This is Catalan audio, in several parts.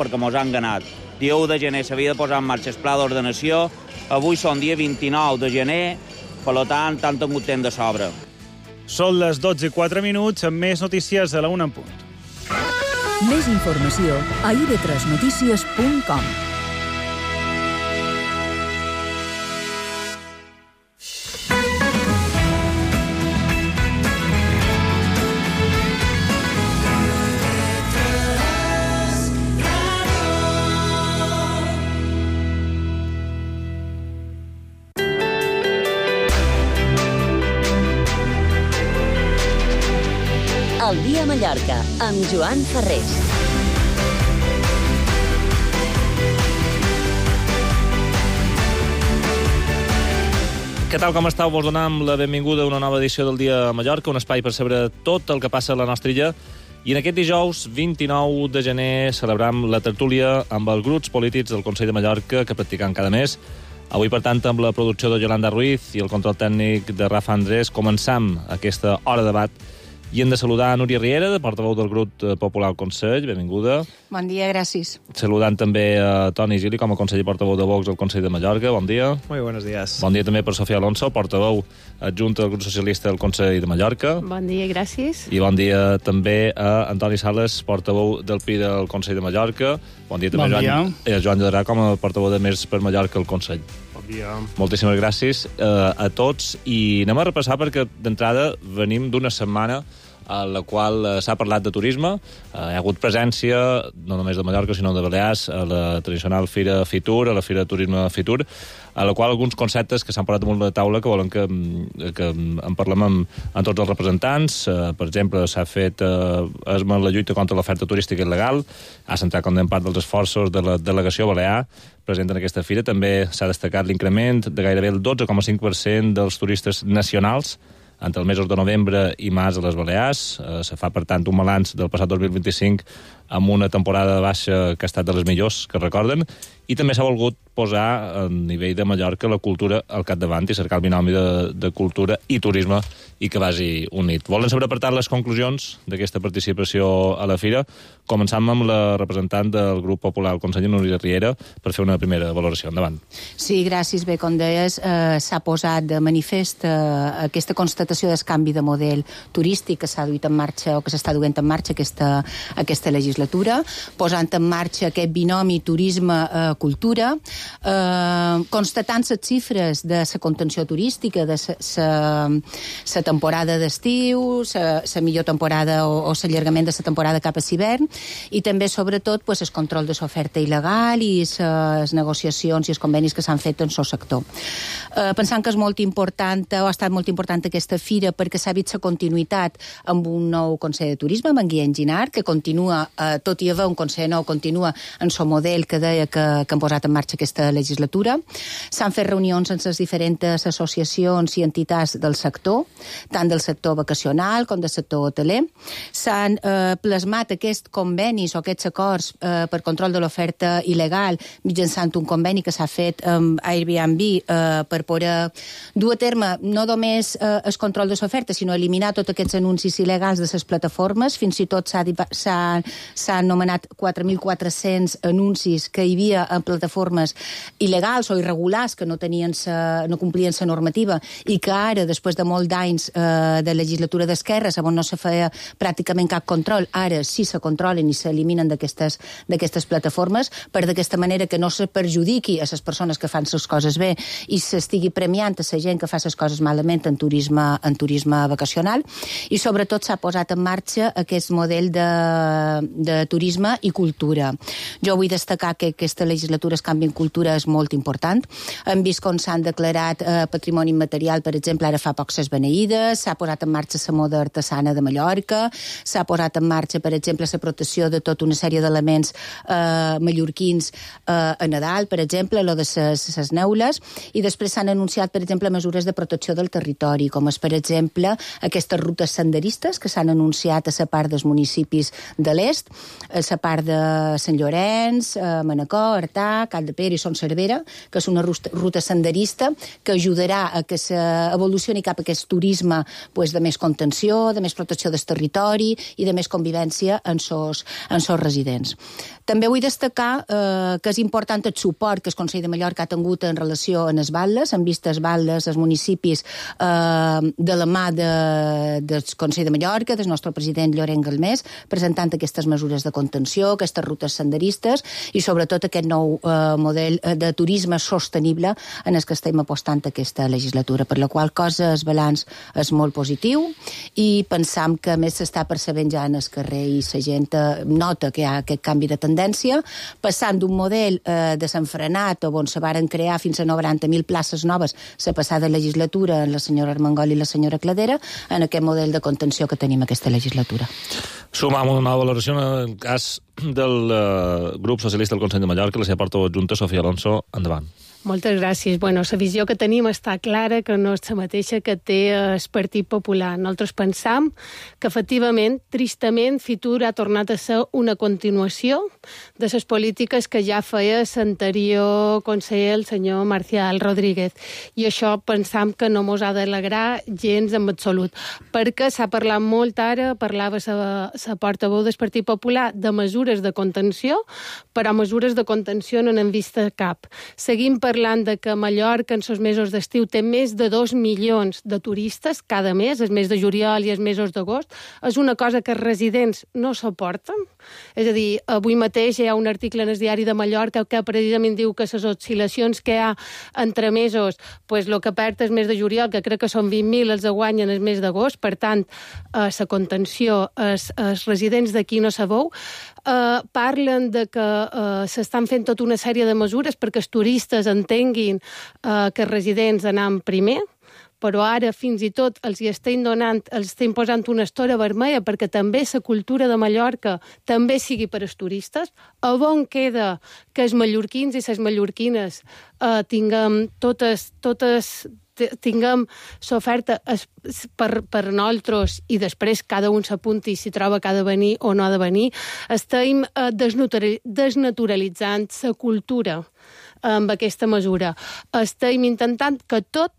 perquè mos han ganat. Dia 1 de gener s'havia de posar en marxa el pla d'ordenació, avui són dia 29 de gener, per tant, han tingut temps de sobre. Són les 12:04, amb més notícies a la 1 en punt. Més informació a ib3notícies.com. El dia a Mallorca, amb Joan Ferrés. Què tal, com esteu? Vos donem la benvinguda a una nova edició del Dia a Mallorca, un espai per saber tot el que passa a la nostra illa. I en aquest dijous, 29 de gener, celebrem la tertúlia amb els grups polítics del Consell de Mallorca que practiquen cada mes. Avui, per tant, amb la producció de Yolanda Ruiz i el control tècnic de Rafa Andrés, començam aquesta hora de debat. I hem de saludar a Núria Riera, de portaveu del grup popular al Consell. Benvinguda. Bon dia, gràcies. Saludant també a Toni Gili, com a conseller portaveu de Vox al Consell de Mallorca. Bon dia. Muy buenos días. Bon dia també per Sofia Alonso, portaveu adjunta del grup socialista del Consell de Mallorca. Bon dia, gràcies. I bon dia també a Antoni Sales, portaveu del PI del Consell de Mallorca. Bon dia també a Joan Llodrà, com a portaveu de Més per Mallorca al Consell. Bon dia. Moltíssimes gràcies a tots. I anem a repassar perquè d'entrada venim d'una setmana a la qual s'ha parlat de turisme. Hi ha hagut presència, no només de Mallorca, sinó de Balears, a la tradicional Fira Fitur, a la Fira de Turisme Fitur, a la qual alguns conceptes que s'han parlat damunt de la taula que volen que en parlem amb tots els representants. Per exemple, s'ha fet la lluita contra l'oferta turística il·legal, ha centrat com en part dels esforços de la delegació balear present en aquesta fira. També s'ha destacat l'increment de gairebé el 12,5% dels turistes nacionals entre els mesos de novembre i març a les Balears. Se fa, per tant, un balanç del passat 2025 amb una temporada baixa que ha estat de les millors que recorden, i també s'ha volgut posar a nivell de Mallorca la cultura al capdavant i cercar el binomi de cultura i turisme i que vagi unit. Volen saber, per tant, les conclusions d'aquesta participació a la fira. Començam amb la representant del grup popular al Consell, Núria Riera, per fer una primera valoració. Endavant. Sí, gràcies. Bé, com deies, s'ha posat de manifest aquesta constatació del canvi de model turístic que s'ha duit en marxa o que s'està duent en marxa aquesta legislatura, posant en marxa aquest binomi turisme-cultura, constatant les xifres de la contenció turística, de la temporada d'estiu, la millor temporada o l'allargament de la temporada cap a l'hivern, i també, sobretot, el control de l'oferta il·legal i les negociacions i els convenis que s'han fet en el sector. Pensant que és molt important, o ha estat molt important aquesta fira, perquè s'ha vist la continuïtat amb un nou Consell de Turisme, amb en Guillem Ginard, que continua, tot i haver un Consell nou, continua en el model que deia que han posat en marxa aquesta legislatura. S'han fet reunions amb les diferents associacions i entitats del sector, tant del sector vacacional com del sector hoteler. S'han plasmat aquests convenis o aquests acords per control de l'oferta il·legal mitjançant un conveni que s'ha fet amb Airbnb per poder dur a terme no només el control de l'oferta, sinó eliminar tots aquests anuncis il·legals de les plataformes. Fins i tot s'ha anomenat 4.400 anuncis que hi havia en plataformes il·legals o irregulars que no complien la normativa i que ara, després de molts d'anys de legislatura d'esquerres, on no se feia pràcticament cap control, ara sí se controlen i s'eliminen d'aquestes plataformes, per d'aquesta manera que no se perjudiqui a les persones que fan les coses bé i s'estigui premiant a la gent que fa les coses malament en turisme vacacional. I sobretot s'ha posat en marxa aquest model de turisme i cultura. Jo vull destacar que aquesta legislatura el canvi en cultura és molt important. Hem vist com s'han declarat patrimoni immaterial, per exemple, ara fa poc les beneïdes, s'ha posat en marxa la moda artesana de Mallorca, s'ha posat en marxa, per exemple, la protecció de tota una sèrie d'elements mallorquins a Nadal, per exemple, lo de les neules, i després s'han anunciat, per exemple, mesures de protecció del territori, com és, per exemple, aquestes rutes senderistes que s'han anunciat a la part dels municipis de l'est, a la part de Sant Llorenç, Manacor, Artà, Capdepera i Son Cervera, que és una ruta senderista que ajudarà a que s'evolucioni cap a aquest turisme de més contenció, de més protecció del territori i de més convivència en sos residents. També vull destacar que és important el suport que el Consell de Mallorca ha tingut en relació amb les Batlles, en vistes Batlles, els municipis de la mà del Consell de Mallorca, del nostre president Llorenç Galmés, presentant aquestes mesures de contenció, aquestes rutes senderistes i sobretot aquest nou model de turisme sostenible en el que estem apostant aquesta legislatura, per la qual cosa el balanç és molt positiu i pensam que més s'està percebent ja en el carrer i la gent nota que hi ha aquest canvi de tendència, passant d'un model desenfrenat on se varen crear fins a 90.000 places noves la passada legislatura en la senyora Armengol i la senyora Cladera, en aquest model de contenció que tenim aquesta legislatura. Sumam una nova valoració en el cas del grup socialista del Consell de Mallorca, la seva portaveu adjunta, Sofia Alonso. Endavant. Moltes gràcies. La visió que tenim està clara, que no és la mateixa que té el Partit Popular. Nosaltres pensam que, efectivament, tristament, Fitur ha tornat a ser una continuació de les polítiques que ja feia l'anterior conseller, el senyor Marcial Rodríguez. I això pensam que no mos ha d'alegrar gens en absolut, perquè s'ha parlat molt ara, parlava la portaveu del Partit Popular, de mesures de contenció, però mesures de contenció no n'hem vist cap. Seguim parlant de que Mallorca en els mesos d'estiu té més de 2 milions de turistes cada mes, el mes de juliol i els mesos d'agost. És una cosa que els residents no suporten. És a dir, avui mateix hi ha un article en el diari de Mallorca que precisament diu que les oscil·lacions que hi ha entre mesos, el que perd el mes de juliol, que crec que són 20.000, els guanyen el mes d'agost. Per tant, la contenció, els residents d'aquí no sabeu. Parlen de que s'estan fent tota una sèrie de mesures perquè els turistes entenguin que els residents anam primer, però ara fins i tot els estem posant una estora vermella perquè també la cultura de Mallorca també sigui per als turistes. A on queda que els mallorquins i les mallorquines tinguem tinguem l'oferta per nosaltres i després cada un s'apunti si troba que ha de venir o no ha de venir. Estem desnaturalitzant la cultura amb aquesta mesura. Estem intentant que tot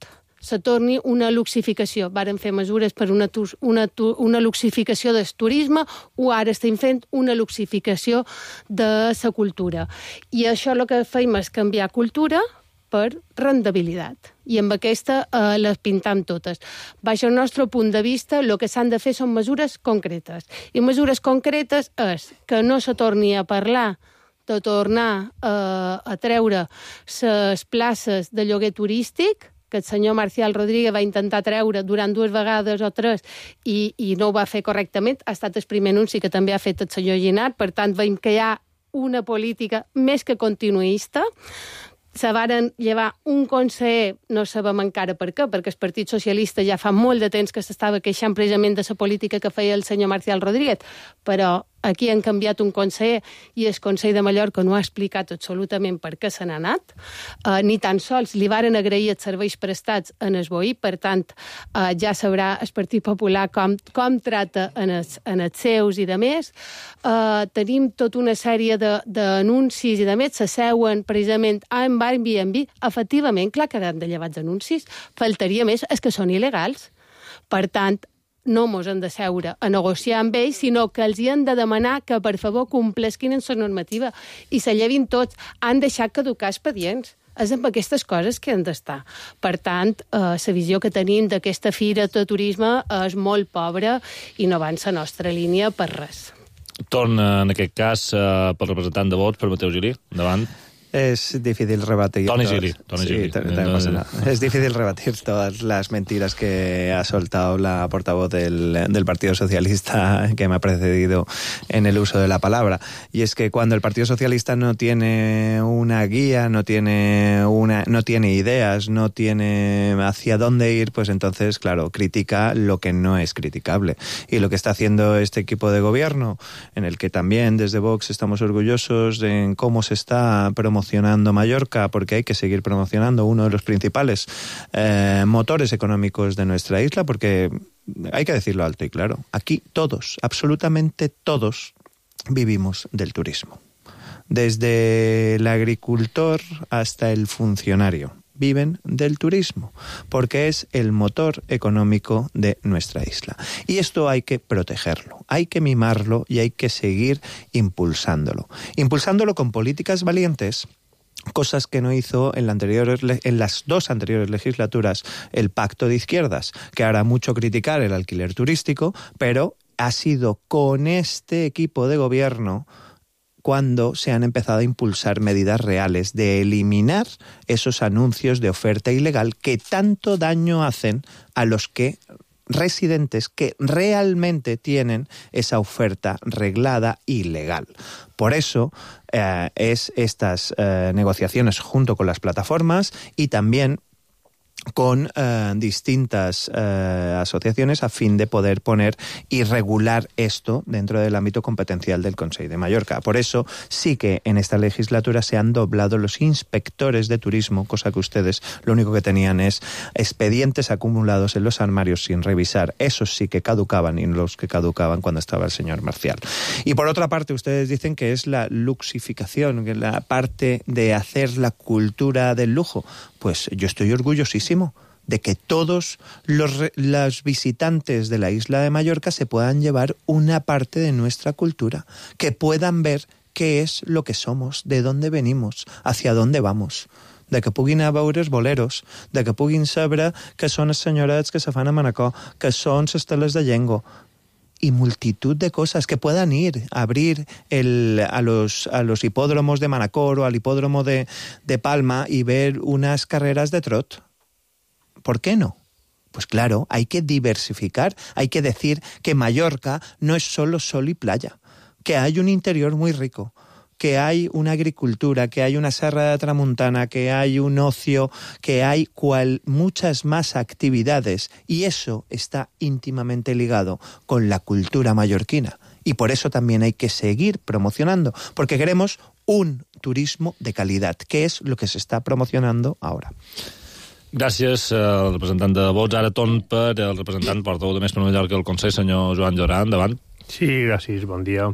se torni una luxificació. Varen fer mesures per una luxificació del turisme o ara estem fent una luxificació de la cultura. I això el que fem és canviar cultura per rendibilitat. I amb aquesta les pintam totes. Baix el nostre punt de vista, el que s'han de fer són mesures concretes. I mesures concretes és que no se torni a parlar de tornar a treure les places de lloguer turístic, que el senyor Marcial Rodríguez va intentar treure durant 2 vegades o 3 i no ho va fer correctament. Ha estat el primer anunci que també ha fet el senyor Ginat. Per tant, veiem que hi ha una política més que continuista. Se varen llevar un conseller, no sabem encara per què, perquè el Partit Socialista ja fa molt de temps que s'estava queixant precisament de la política que feia el senyor Marcial Rodríguez, però aquí han canviat un conseller i el Consell de Mallorca no ha explicat absolutament per què se n'ha anat, ni tan sols li varen agrair els serveis prestats en el BOI, per tant, ja sabrà el Partit Popular com trata en els seus i de més. Tenim tota una sèrie d'anuncis i de més, s'asseuen precisament amb Airbnb. Efectivament, clar que han de llevar els anuncis, faltaria més, és que són il·legals. Per tant, no mos han de seure a negociar amb ells, sinó que els hi han de demanar que, per favor, complesquin en la normativa i se llevin tots. Han deixat caducar expedients. És amb aquestes coses que han d'estar. Per tant, la visió que tenim d'aquesta fira de turisme és molt pobra i no va en la nostra línia per res. Torna, en aquest cas, pel representant de Vox, per Mateu Gili. Endavant. Es difícil rebatir. Toni Gili. Es difícil rebatir todas las mentiras que ha soltado la portavoz del Partido Socialista que me ha precedido en el uso de la palabra. Y es que cuando el Partido Socialista no tiene una guía, no tiene ideas, no tiene hacia dónde ir, pues entonces, claro, critica lo que no es criticable. Y lo que está haciendo este equipo de gobierno, en el que también desde Vox estamos orgullosos en cómo se está promocionando Mallorca, porque hay que seguir promocionando uno de los principales motores económicos de nuestra isla, porque hay que decirlo alto y claro, aquí todos, absolutamente todos, vivimos del turismo. desde el agricultor hasta el funcionario. Viven del turismo, porque es el motor económico de nuestra isla. Y esto hay que protegerlo, hay que mimarlo y hay que seguir impulsándolo. Impulsándolo con políticas valientes, cosas que no hizo en las dos anteriores legislaturas el Pacto de Izquierdas, que hará mucho criticar el alquiler turístico, pero ha sido con este equipo de gobierno cuando se han empezado a impulsar medidas reales de eliminar esos anuncios de oferta ilegal que tanto daño hacen a los residentes que realmente tienen esa oferta reglada y legal. Por eso es estas negociaciones junto con las plataformas y también con distintas asociaciones a fin de poder poner y regular esto dentro del ámbito competencial del Consell de Mallorca. Por eso sí que en esta legislatura se han doblado los inspectores de turismo, cosa que ustedes lo único que tenían es expedientes acumulados en los armarios sin revisar. Esos sí que caducaban y los que caducaban cuando estaba el señor Marcial. Y por otra parte, ustedes dicen que es la luxificación, que la parte de hacer la cultura del lujo. Pues yo estoy orgullosísimo de que todos los visitantes de la isla de Mallorca se puedan llevar una parte de nuestra cultura, que puedan ver qué es lo que somos, de dónde venimos, hacia dónde vamos, de que puguin a veure els boleros, de que puguin saber que són els senyorets que se fan a Manacor, que són les teles de Llengo, y multitud de cosas, que puedan ir a abrir a los hipódromos de Manacor o al hipódromo de Palma y ver unas carreras de trot. ¿Por qué no? Pues claro, hay que diversificar, hay que decir que Mallorca no es solo sol y playa, que hay un interior muy rico, que hay una agricultura, que hay una serra de Tramuntana, que hay un ocio, que hay muchas más actividades, y eso está íntimamente ligado con la cultura mallorquina. Y por eso también hay que seguir promocionando, porque queremos un turismo de calidad, que es lo que se está promocionando ahora. Gràcies al representant de Vots. Ara torn per el representant portaveu de Més per Mallorca del Consell, senyor Joan Llorà. Endavant. Sí, gràcies, bon dia.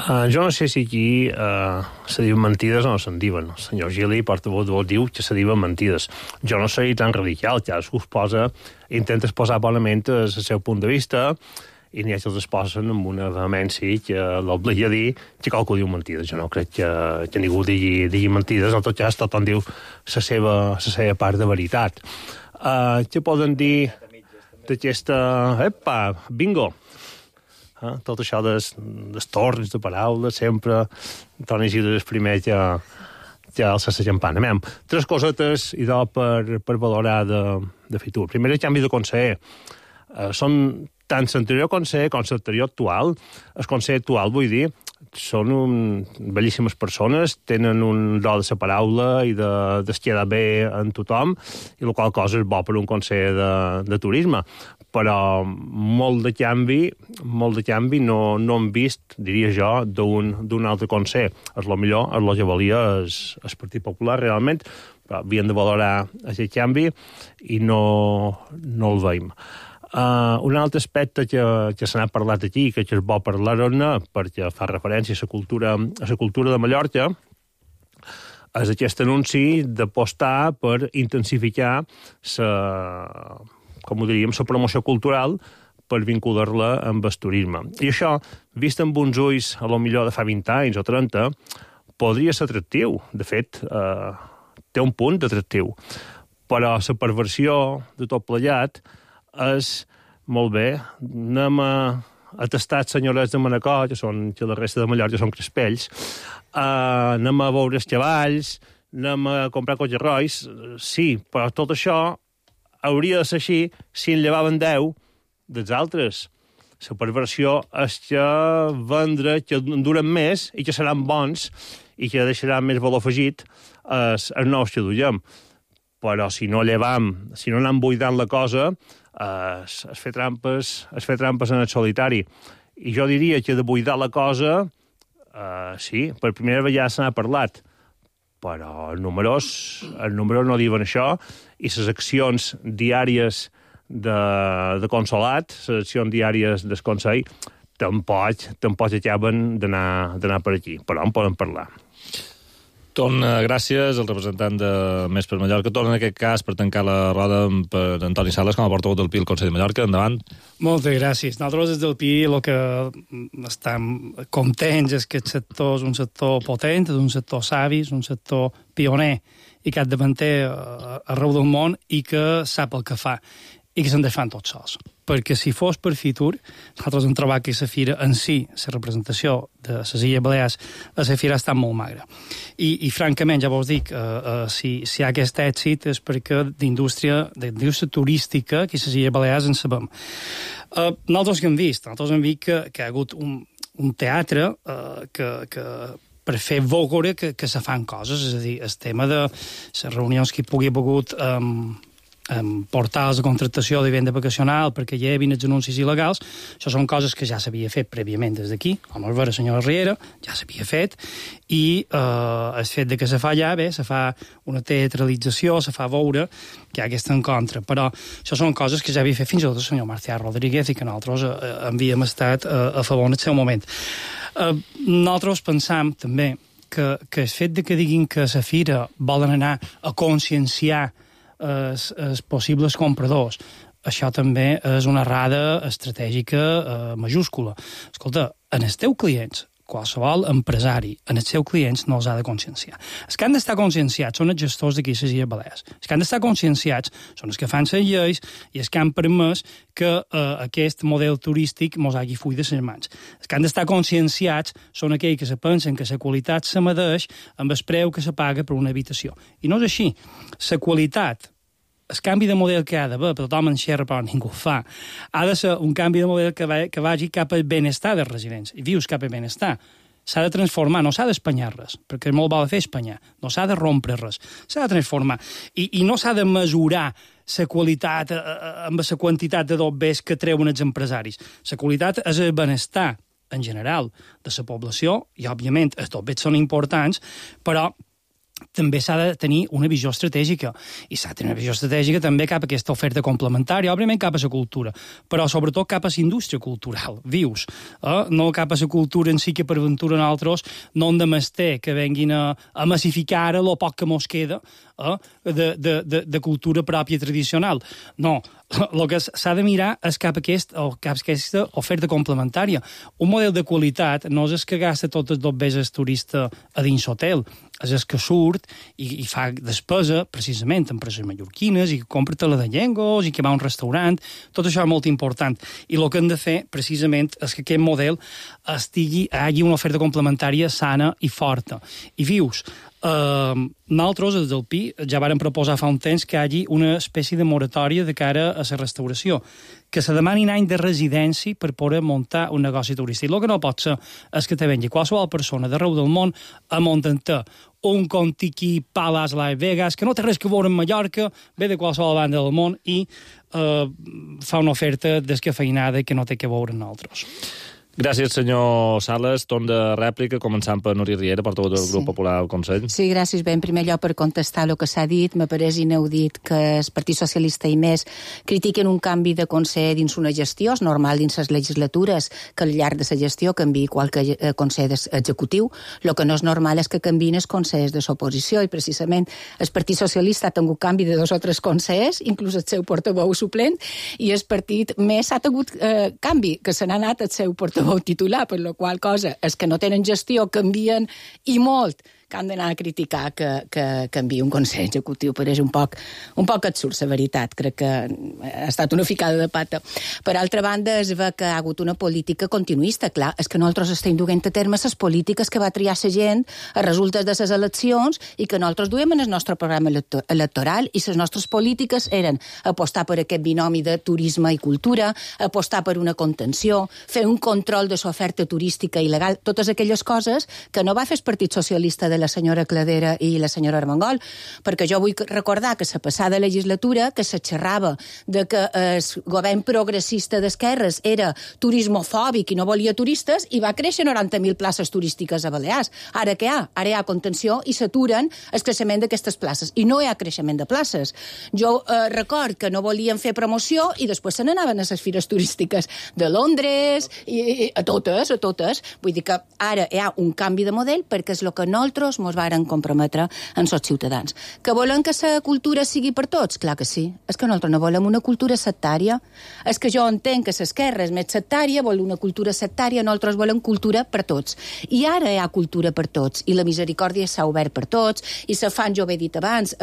Jo no sé si aquí se diuen mentides o no se'n diuen. El senyor Gili, portaveu de Vots, diu que se diuen mentides. Jo no soy tan radical, cadascú intenta exposar bonament el seu punt de vista, i n'hi ha que els exposen amb una vehemència que l'obliga a dir que qualcú diu mentides. Jo no crec que ningú digui mentides, en tot cas tothom diu la seva part de veritat. Què poden dir d'aquesta... Bingo! Tot això dels torns de paraules, sempre Toni Isidre és el primer que alça la campana. Tres cosetes idò per valorar de futur. Primer, el canvi de conseller. Són tant l'anterior conseller com l'anterior actual. El conseller actual, vull dir, són bellíssimes persones, tenen un do de la paraula i de quedar bé en tothom, i la qual cosa és bo per un conseller de turisme. Però molt de canvi no hem vist, diria jo, d'un altre conseller. És el millor, és el que valia el Partit Popular, realment, però havien de valorar aquest canvi i no el veiem. Un altre aspecte que se n'ha parlat aquí, que és bo parlar-ne, perquè fa referència a la cultura de Mallorca, és aquest anunci d'apostar per intensificar la promoció cultural per vincular-la amb el turisme. I això, vist amb uns ulls, a lo millor de fa 20 anys o 30, podria ser atractiu. De fet, té un punt d'atractiu. Però la perversió de tot plegat és, molt bé, anem a tastar els senyorets de Manacor, que la resta de Mallorca són crespells, anem a veure els cavalls, anem a comprar cotxerrois, sí, però tot això hauria de ser així si en llevaven 10 dels altres. La perversió és que vendre que duren més i que seran bons i que deixaran més valor afegit els nous que duiem. Però si no llevam, si no anem buidant la cosa, es fer trampes en el solitari. I jo diria que de buidar la cosa, sí, per primera vegada se n'ha parlat, però els números no diuen això, i les accions diàries de consolat, les accions diàries del Consell, tampoc acaben d'anar per aquí, però en podem parlar. Gràcies al representant de Més per Mallorca. Torna en aquest cas per tancar la roda per Antoni Sales com a portaveu del PI al Consell de Mallorca. Endavant. Moltes gràcies. Nosaltres des del PI el que estem contents és que el sector és un sector potent, és un sector savi, és un sector pioner i capdavanter arreu del món i que sap el que fa i que se'n fan tots sols. Perquè si fos per Fitur, nosaltres hem trobat que la fira en si, la representació de les Illes Balears, la fira ha estat molt magra. I francament, ja vos dic, si hi ha aquest èxit és perquè d'indústria turística aquí a les Illes Balears en sabem. Nosaltres que hem vist que hi ha hagut un teatre que per fer veure que se fan coses, és a dir, el tema de les reunions que hi pugui haver hagut portals de contractació de vivenda vacacional perquè hi havia els anuncis il·legals, això són coses que ja s'havia fet prèviament des d'aquí, com es veure, senyora Riera, ja s'havia fet, i el fet de que se fa allà, bé, se fa una teatralització, se fa veure que hi ha aquesta encontre, però això són coses que ja havia fet fins i tot el senyor Marcià Rodríguez i que nosaltres havíem estat a favor en el seu moment. Nosaltres pensam també que el fet de que diguin que la fira volen anar a conscienciar els possibles compradors, això també és una errada estratègica majúscula. Escolta, en els teus clients, qualsevol empresari, en els seus clients no els ha de conscienciar. Els que han d'estar conscienciats són els gestors d'aquí a les Illes Balears. Els que han d'estar conscienciats són els que fan les lleis i els que han permès que aquest model turístic mos hagi fuit de les mans. Els que han d'estar conscienciats són aquells que se pensen que la qualitat se medeix amb el preu que se paga per una habitació. I no és així. La qualitat, el canvi de model que ha d'haver, però tothom en xerra però ningú ho fa, ha de ser un canvi de model que vagi cap al benestar dels residents. I dius cap al benestar. S'ha de transformar, no s'ha d'espanyar res, perquè és molt bo de fer espanyar, no s'ha de rompre res, s'ha de transformar. I no s'ha de mesurar la qualitat amb la quantitat de dobbers que treuen els empresaris. La qualitat és el benestar en general de la població, i òbviament els dobbers són importants, però també s'ha de tenir una visió estratègica, i s'ha de tenir una visió estratègica també cap a aquesta oferta complementària, òbviament cap a la cultura, però sobretot cap a la indústria cultural, vius, no cap a la cultura en si que per ventura nosaltres no hem de mester que venguin a massificar ara el poc que mos queda de cultura pròpia tradicional. No, el que s'ha de mirar és cap a aquesta oferta complementària. Un model de qualitat no és el que gasta tots els dobbers el turista a dins l'hotel, és el que surt i fa despesa precisament en empreses mallorquines i que compra tela de llengos i que va a un restaurant. Tot això és molt important. I el que hem de fer precisament és que aquest model hagi una oferta complementària sana i forta. I vius, nosaltres, des del PI, ja vàrem proposar fa un temps que hi hagi una espècie de moratòria de cara a la restauració, que se demani un any de residència per poder muntar un negoci turístic. El que no pot ser és que te vengui qualsevol persona d'arreu del món a muntar un Contiki Palace Las Vegas, que no té res que veure amb Mallorca, ve de qualsevol banda del món i fa una oferta descafeinada que no té que veure amb nosaltres. Gràcies, senyor Sales. Torn de rèplica, començant per Núria Riera, portaveu del Grup Popular al Consell. Sí, gràcies. Bé, en primer lloc, per contestar el que s'ha dit, m'ha pareix inaudit que el Partit Socialista i Més critiquen un canvi de Consell dins una gestió. És normal dins les legislatures que al llarg de la gestió canviï qualque Consell executiu. El que no és normal és que canviïn els Consells de l'oposició, i precisament el Partit Socialista ha tingut canvi de 2 o 3 consells, inclús el seu portaveu suplent, i el Partit Més ha tingut canvi, que se n'ha anat el seu portaveu titular, per la qual cosa és que no tenen gestió, canvien i molt, que han d'anar a criticar que canviï un Consell Executiu. Pareix un poc absurd, la veritat. Crec que ha estat una ficada de pata. Per altra banda, es ve que ha hagut una política continuista. Clar, és que nosaltres estem duent a terme les polítiques que va triar la gent a resultes de les eleccions i que nosaltres duem en el nostre programa electoral, i les nostres polítiques eren apostar per aquest binomi de turisme i cultura, apostar per una contenció, fer un control de l'oferta turística il·legal, totes aquelles coses que no va fer el Partit Socialista de la senyora Cladera i la senyora Armengol, perquè jo vull recordar que la passada legislatura que se xerrava de que el govern progressista d'esquerres era turismofòbic i no volia turistes, i va créixer 90.000 places turístiques a Balears. Ara què hi ha? Ara hi ha contenció i s'aturen el creixement d'aquestes places, i no hi ha creixement de places. Jo record que no volien fer promoció i després se n'anaven a les fires turístiques de Londres i a totes. Vull dir que ara hi ha un canvi de model perquè és el que nosaltres nosaltres mos varen comprometre amb els ciutadans. Que volem que la cultura sigui per tots? Clar que sí. És que nosaltres no volem una cultura sectària. És que jo entenc que l'esquerra és més sectària, vol una cultura sectària, nosaltres volem cultura per tots. I ara hi ha cultura per tots, i la misericòrdia s'ha obert per tots, i se fan, jo ho he dit abans,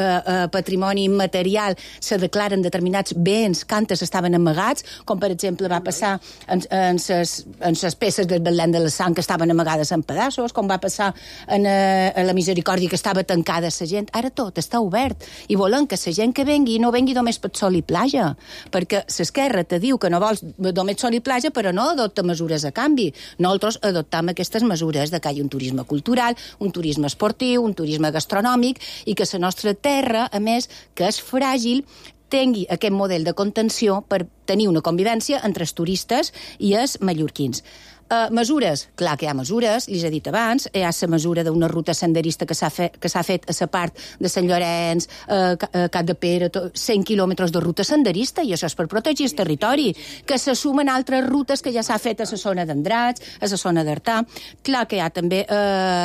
patrimoni immaterial, se declaren determinats béns que antes estaven amagats, com per exemple va passar en les peces del Betlem de la Sang que estaven amagades en pedaços, com va passar en la misericòrdia que estava tancada la gent. Ara tot està obert, i volem que la gent que vengui no vengui només per sol i platja, perquè l'esquerra te diu que no vols només sol i platja, però no adopta mesures a canvi. Nosaltres adoptam aquestes mesures de que hi ha un turisme cultural, un turisme esportiu, un turisme gastronòmic, i que la nostra terra, a més, que és fràgil, tingui aquest model de contenció per tenir una convivència entre els turistes i els mallorquins. Mesures, clar que hi ha mesures, li he dit abans, hi ha la mesura d'una ruta senderista que s'ha fet a la part de Sant Llorenç, Cap de Pere, 100 quilòmetres de ruta senderista, i això és per protegir el territori, que se sumen altres rutes que ja s'ha fet a la zona d'Andratx, a la zona d'Artà. Clar que hi ha també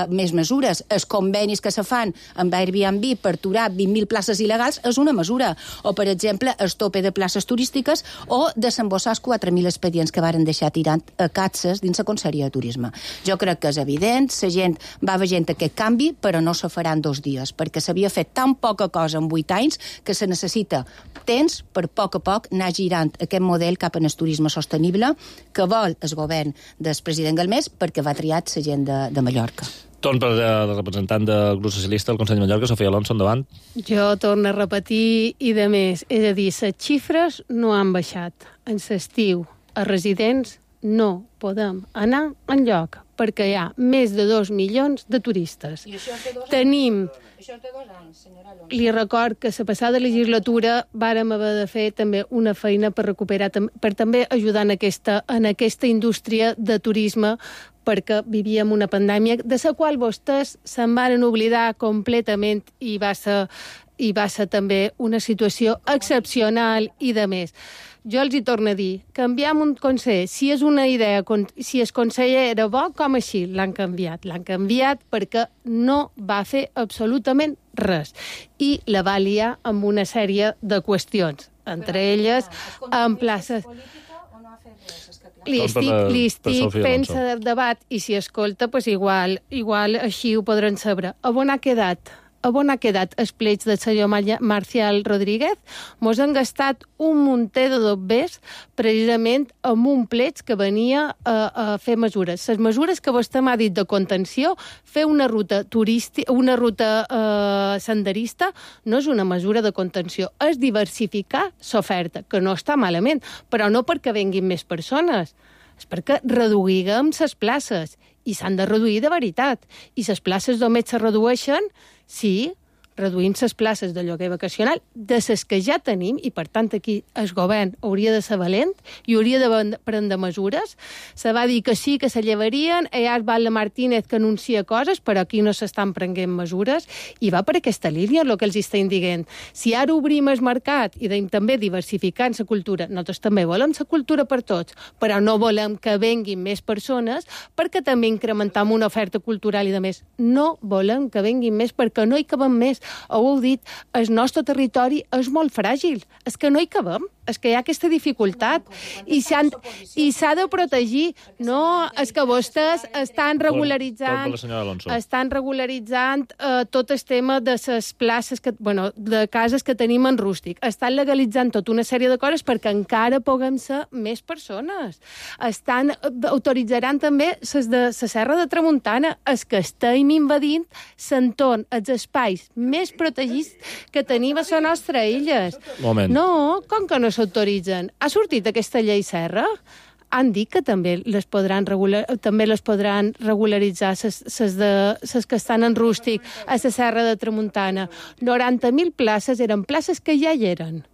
més mesures. Els convenis que se fan amb Airbnb per aturar 20.000 places il·legals és una mesura. O, per exemple, el tope de places turístiques o desembossar els 4.000 expedients que varen deixar tirant a Catses dins la Conselleria de Turisme. Jo crec que és evident, la gent va veient aquest canvi, però no se farà en 2 dies, perquè s'havia fet tan poca cosa en 8 anys que se necessita temps per a poc anar girant aquest model cap en el turisme sostenible que vol el govern del president Galmés, perquè va triar la gent de Mallorca. Torn per la representant del grup socialista del Consell de Mallorca, Sofia Alonso, endavant. Jo torno a repetir, i de més, és a dir, les xifres no han baixat. En l'estiu, a residents, no podem anar enlloc, perquè hi ha més de 2 milions de turistes. I això té 2 anys. Tenim... Això té 2 anys, senyora Alonso. Li record que la passada legislatura vàrem haver de fer també una feina per recuperar, per també ajudar en aquesta indústria de turisme, perquè vivíem una pandèmia de la qual vostès se'n van oblidar completament, i va ser també una situació excepcional i de més. Jo els hi torno a dir, canviem un conseller. Si és una idea, si el conseller era bo, com així l'han canviat? L'han canviat perquè no va fer absolutament res. I la va liar amb una sèrie de qüestions, entre elles en places... Li estic fent el debat, i si escolta, pues igual així ho podran saber. On ha quedat els plets del senyor Marcial Rodríguez? Mos han gastat un munter de dobbers precisament amb un plets que venia a fer mesures. Les mesures que vostè m'ha dit de contenció, fer una ruta turística, una ruta senderista, no és una mesura de contenció, és diversificar l'oferta, que no està malament, però no perquè venguin més persones, és perquè reduïguem les places, i s'han de reduir de veritat. I les places només se redueixen si reduïm les places de lloguer vacacional de les que ja tenim, i per tant aquí el govern hauria de ser valent i hauria de prendre mesures. Se va dir que sí, que se llevarien, hi ha Val Martínez que anuncia coses, però aquí no s'estan prenent mesures, i va per aquesta línia el que els estem dient. Si ara obrim el mercat i també diversificant la cultura, nosaltres també volem la cultura per tots, però no volem que venguin més persones perquè també incrementam una oferta cultural i de més. No volem que venguin més perquè no hi cabem més. Ho heu dit, el nostre territori és molt fràgil, és que no hi cabem, és que hi ha aquesta dificultat i s'ha de protegir. No, és que vostès estan regularitzant tot el tema de les places, de cases que tenim en rústic. Estan legalitzant tota una sèrie de coses perquè encara puguem ser més persones. Autoritzaran també les de la Serra de Tramuntana. És que estem invadint l'entorn, els espais més protegits que tenim a la nostra illa. No, com que no s'autoritzen? Ha sortit aquesta llei Serra? Han dit que també les podran regularitzar les que estan en rústic a la Serra de Tramuntana. 90.000 places eren places que ja hi eren.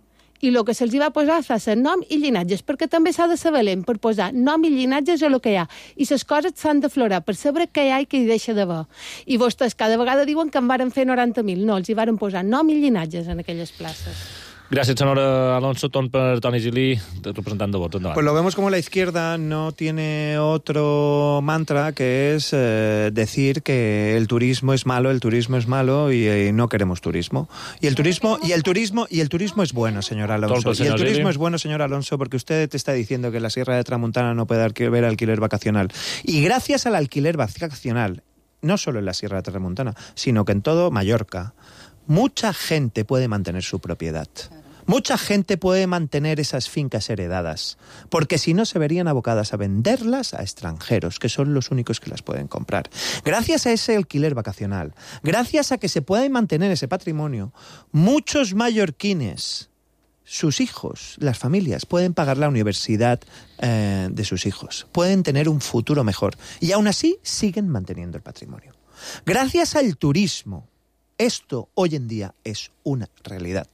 I el que se'ls va posar va ser nom i llinatges, perquè també s'ha de ser valent per posar nom i llinatges a lo que hi ha. I les coses s'han d'aflorar per saber què hi ha i què hi deixa d'haver. I vostès cada vegada diuen que en varen fer 90.000. No, els hi varen posar nom i llinatges en aquelles places. Gràcies, senyora Alonso. Torn per Toni Gili, representant de Vots. Endavant. Pues lo vemos como la izquierda no tiene otro mantra que es decir que el turismo es malo y no queremos turismo. Y el turismo es bueno, señor Alonso. Y el turismo es bueno, señor Alonso, porque usted te está diciendo que en la Sierra de Tramuntana no puede haber alquiler vacacional. Y gracias al alquiler vacacional, no solo en la Sierra de Tramuntana, sino que en todo Mallorca, mucha gente puede mantener su propiedad. Mucha gente puede mantener esas fincas heredadas, porque si no se verían abocadas a venderlas a extranjeros, que son los únicos que las pueden comprar. Gracias a ese alquiler vacacional, gracias a que se puede mantener ese patrimonio, muchos mallorquines, sus hijos, las familias, pueden pagar la universidad de sus hijos, pueden tener un futuro mejor, y aún así siguen manteniendo el patrimonio. Gracias al turismo, esto hoy en día es una realidad.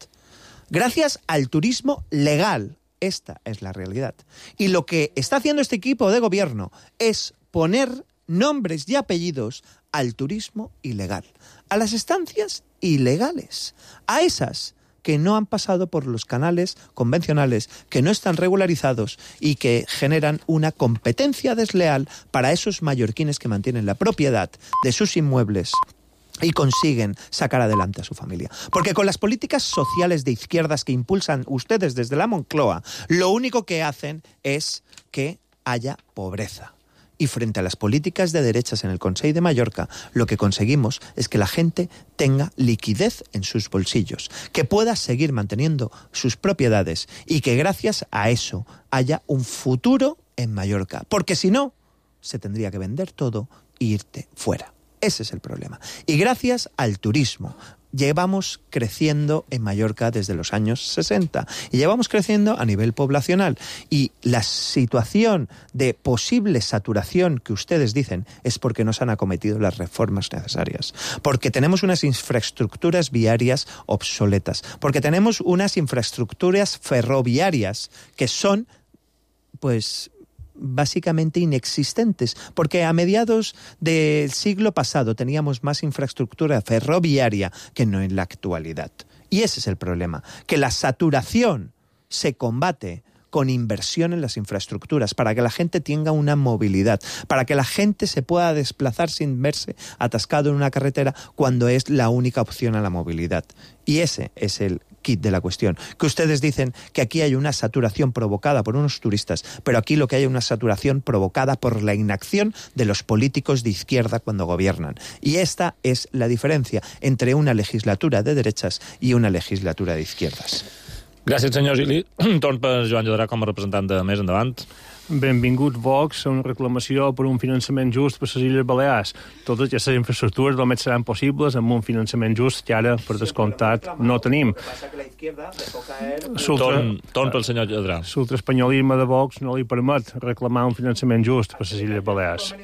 Gracias al turismo legal, esta es la realidad. Y lo que está haciendo este equipo de gobierno es poner nombres y apellidos al turismo ilegal, a las estancias ilegales, a esas que no han pasado por los canales convencionales, que no están regularizados y que generan una competencia desleal para esos mallorquines que mantienen la propiedad de sus inmuebles y consiguen sacar adelante a su familia. Porque con las políticas sociales de izquierdas que impulsan ustedes desde la Moncloa, lo único que hacen es que haya pobreza. Y frente a las políticas de derechas en el Consell de Mallorca, lo que conseguimos es que la gente tenga liquidez en sus bolsillos, que pueda seguir manteniendo sus propiedades y que gracias a eso haya un futuro en Mallorca. Porque si no, se tendría que vender todo e irte fuera. Ese es el problema. Y gracias al turismo llevamos creciendo en Mallorca desde los años 60 y llevamos creciendo a nivel poblacional. Y la situación de posible saturación que ustedes dicen es porque no se han acometido las reformas necesarias, porque tenemos unas infraestructuras viarias obsoletas, porque tenemos unas infraestructuras ferroviarias que son, pues, básicamente inexistentes, porque a mediados del siglo pasado teníamos más infraestructura ferroviaria que no en la actualidad. Y ese es el problema, que la saturación se combate con inversión en las infraestructuras, para que la gente tenga una movilidad, para que la gente se pueda desplazar sin verse atascado en una carretera cuando es la única opción a la movilidad. Y ese es el kit de la cuestión. Que ustedes dicen que aquí hay una saturación provocada por unos turistas, pero aquí lo que hay es una saturación provocada por la inacción de los políticos de izquierda cuando gobiernan. Y esta es la diferencia entre una legislatura de derechas i una legislatura de izquierdas. Gràcies, senyor Gili. Torn per Joan Llodrà com a representant de Més Endavant. Benvingut Vox a una reclamació per un finançament just per les Illes Balears. Totes aquestes infraestructures només seran possibles amb un finançament just que ara, per descomptat, no tenim. Torn pel senyor Llodrà. L'ultraespanyolisme de Vox no li permet reclamar un finançament just per les Illes Balears.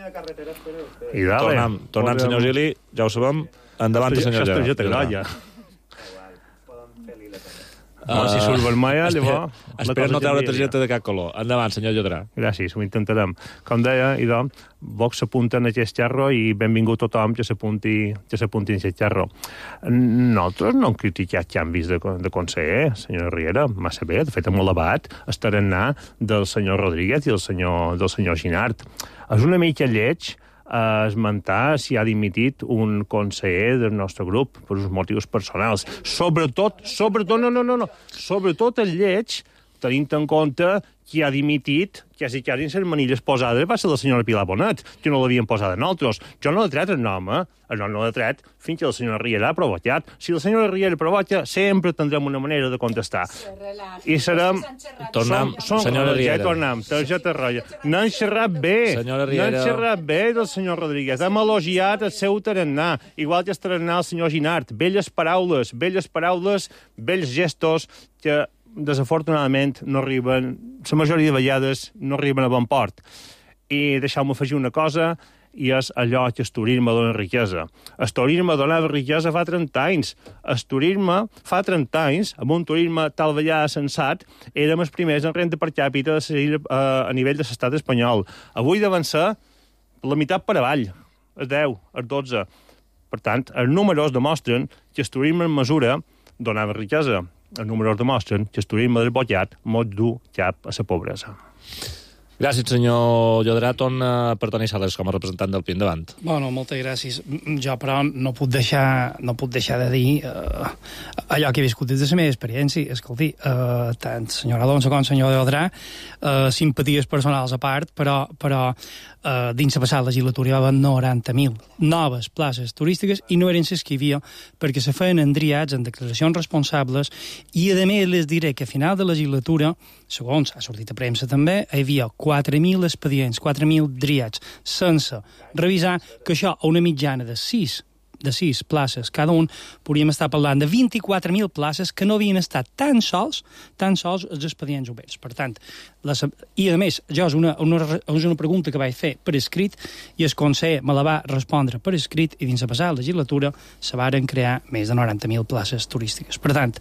I dale. Tornant, senyor Gili, ja ho sabem. Endavant, senyor Llodrà. Això és grolla. Si surt vermella, llavors... Espera no treure targeta de cap color. Endavant, senyor Llodrà. Gràcies, ho intentarem. Com deia, idò, Vox s'apunta en aquest xerro i benvingut tothom que s'apunti en aquest xerro. Nosaltres no hem criticat canvis de conseller, senyor Riera, massa bé, de fet hem elevat el tarannà del senyor Rodríguez i del senyor Ginart. És una mica lleig esmentar si ha dimitit un conseller del nostre grup per uns motius personals. Sobretot el lleig, tenint en compte qui ha dimitit, quasi en les manilles posades, va ser la senyora Pilar Bonet, que no l'havien posat en altres. Jo no l'he tret el nom, el nom no l'he tret fins que la senyora Riera ha provocat. Si la senyora Riera provoca, sempre tindrem una manera de contestar. I serem... Senyora Riera. Tornem, targeta roja. No han xerrat bé. No han xerrat bé del senyor Rodríguez. Hem elogiat el seu tarannà, igual que el tarannà del senyor Ginart. Belles paraules, bells gestos que desafortunadament no arriben, la majoria de vegades no arriben a bon port. I deixeu-me afegir una cosa, i és allò que el turisme dona riquesa. El turisme donava riquesa fa 30 anys. El turisme fa 30 anys, amb un turisme tal vegada sensat, érem els primers en renda per càpita a nivell de l'estat espanyol. Avui deuen ser la meitat per avall, el 10, el 12. Per tant, els números demostren que el turisme en mesura donava riquesa. els números demostren que el turisme desbotllat mos du cap a la pobresa. Gràcies, senyor Llodrà. Per Toni Sales, com a representant del PI, endavant. Bueno, moltes gràcies. Jo, però, no puc deixar de dir allò que he viscut des de la meva experiència. Escolti, tant senyor Alonso com senyor Llodrà, simpaties personals a part, però dins la passada legislatura hi va haver 90.000 noves places turístiques i no eren les que hi havia perquè se feien endriats en declaracions responsables i, a més, les diré que a final de legislatura, segons ha sortit a premsa també, hi havia 4.000 expedients, 4.000 driats sense revisar, que això a una mitjana de 6 places cada un, podríem estar parlant de 24.000 places que no havien estat tan sols els expedients oberts. Per tant, i a més, jo és una pregunta que vaig fer per escrit i el conseller me la va respondre per escrit i dins la passada legislatura se varen crear més de 90.000 places turístiques. Per tant,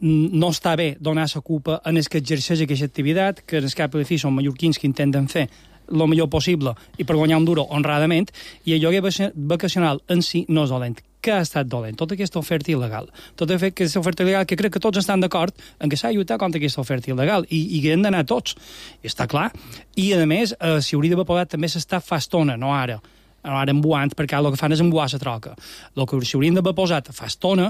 no està bé donar la culpa en els que exerceix aquesta activitat, que en el cap de fi són mallorquins que intenten fer el millor possible i per guanyar un duro honradament, i el lloguer vacacional en si no és dolent. Què ha estat dolent? Tota aquesta oferta il·legal. Tota aquesta oferta il·legal que crec que tots estan d'acord en que s'ha de lluitar contra aquesta oferta il·legal i que hem d'anar tots. I està clar. I, a més, s'hi hauria d'haver pagat també s'està fa estona, no ara embuant, perquè el que fan és embuar la troca. El que s'haurien d'haver posat fa estona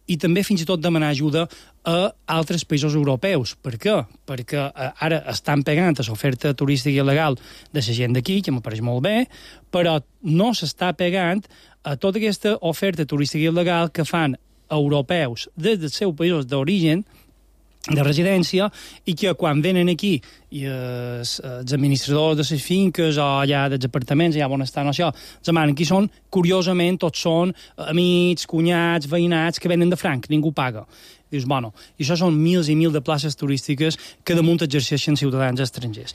i també fins i tot demanar ajuda a altres països europeus. Per què? Perquè ara estan pegant a l'oferta turística il·legal de la gent d'aquí, que m'apareix molt bé, però no s'està pegant a tota aquesta oferta turística il·legal que fan europeus des dels seus països d'origen, de residència, i que quan venen aquí i els administradors de les finques o allà dels apartaments, allà on estan això, els demanen qui són, curiosament tots són amics, cunyats, veïnats que venen de franc, ningú paga. Dius, bueno, i això són mils i mil de places turístiques que damunt exerceixen ciutadans estrangers.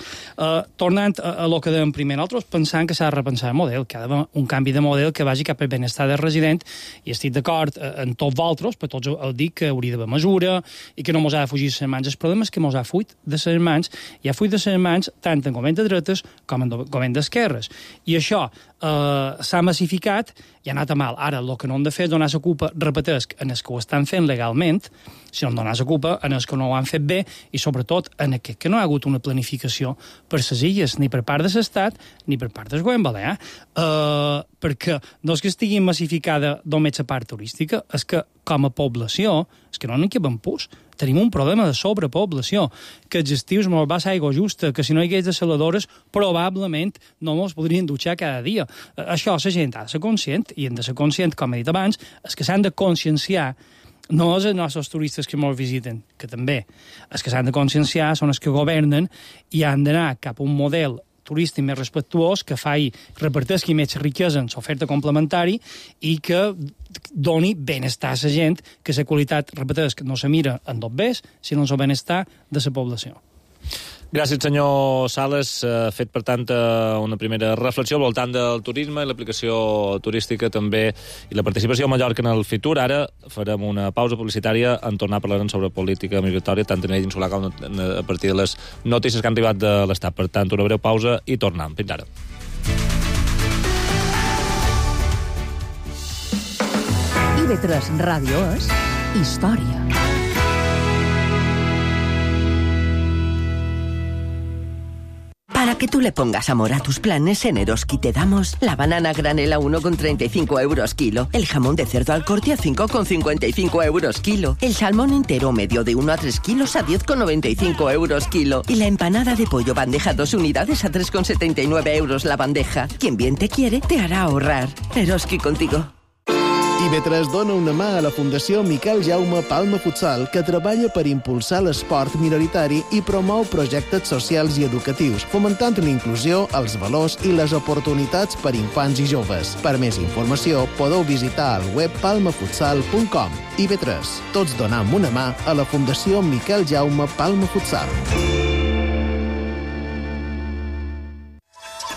Tornant a lo que dèiem primer, nosaltres pensant que s'ha de repensar el model, que ha d'haver un canvi de model que vagi cap al benestar del resident, i estic d'acord en tots vosaltres, però tots heu dit que hauria d'haver mesura i que no mos ha de fugir de les mans. El problema és que mos ha fuit de les mans, i ha fuit de les mans tant en govern de dretes com en govern d'esquerres. I això s'ha massificat i ha anat a mal. Ara, el que no hem de fer és donar la culpa, repetesc, en els que ho estan fent legalment, sinó donar la culpa en els que no ho han fet bé i, sobretot, en aquest que no hi ha hagut una planificació per les illes, ni per part de l'Estat ni per part del govern balear. Perquè no és que estigui massificada només la part turística, és que, com a població, és que no n'hi cabem pus. Tenim un problema de sobrepoblació, que els estius mos va aigua justa, que si no hi hagués desaladores, probablement no mos podrien dutxar cada dia. Això la gent ha de ser conscient, i hem de ser conscient, com he dit abans, és que s'han de conscienciar, no és els nostres turistes que ens visiten, que també, els que s'han de conscienciar són els que governen i han d'anar cap a un model turístic més respectuós, que reparteixi més riquesa en l'oferta complementari i que doni benestar a la gent, que la qualitat, repeteix, no se mira en dos bés, sinó en el benestar de la població. Gràcies, senyor Sales. Fet, per tant, una primera reflexió al voltant del turisme i l'aplicació turística també i la participació a Mallorca en el futur. Ara farem una pausa publicitària en tornar a parlar sobre política migratòria, tant a nivell insular com a partir de les notícies que han arribat de l'Estat. Per tant, una breu pausa i tornem. Fins ara. IB3 Ràdio és història. Para que tú le pongas amor a tus planes, en Eroski te damos la banana granel a 1,35 euros kilo, el jamón de cerdo al corte a 5,55 euros kilo, el salmón entero medio de 1 a 3 kilos a 10,95 euros kilo y la empanada de pollo bandeja 2 unidades a 3,79 euros la bandeja. Quien bien te quiere, te hará ahorrar. Eroski contigo. IB3 dona una mà a la Fundació Miquel Jaume Palma Futsal, que treballa per impulsar l'esport minoritari i promou projectes socials i educatius, fomentant la inclusió, els valors i les oportunitats per infants i joves. Per més informació, podeu visitar el web palmafutsal.com. IB3. Tots donam una mà a la Fundació Miquel Jaume Palma Futsal.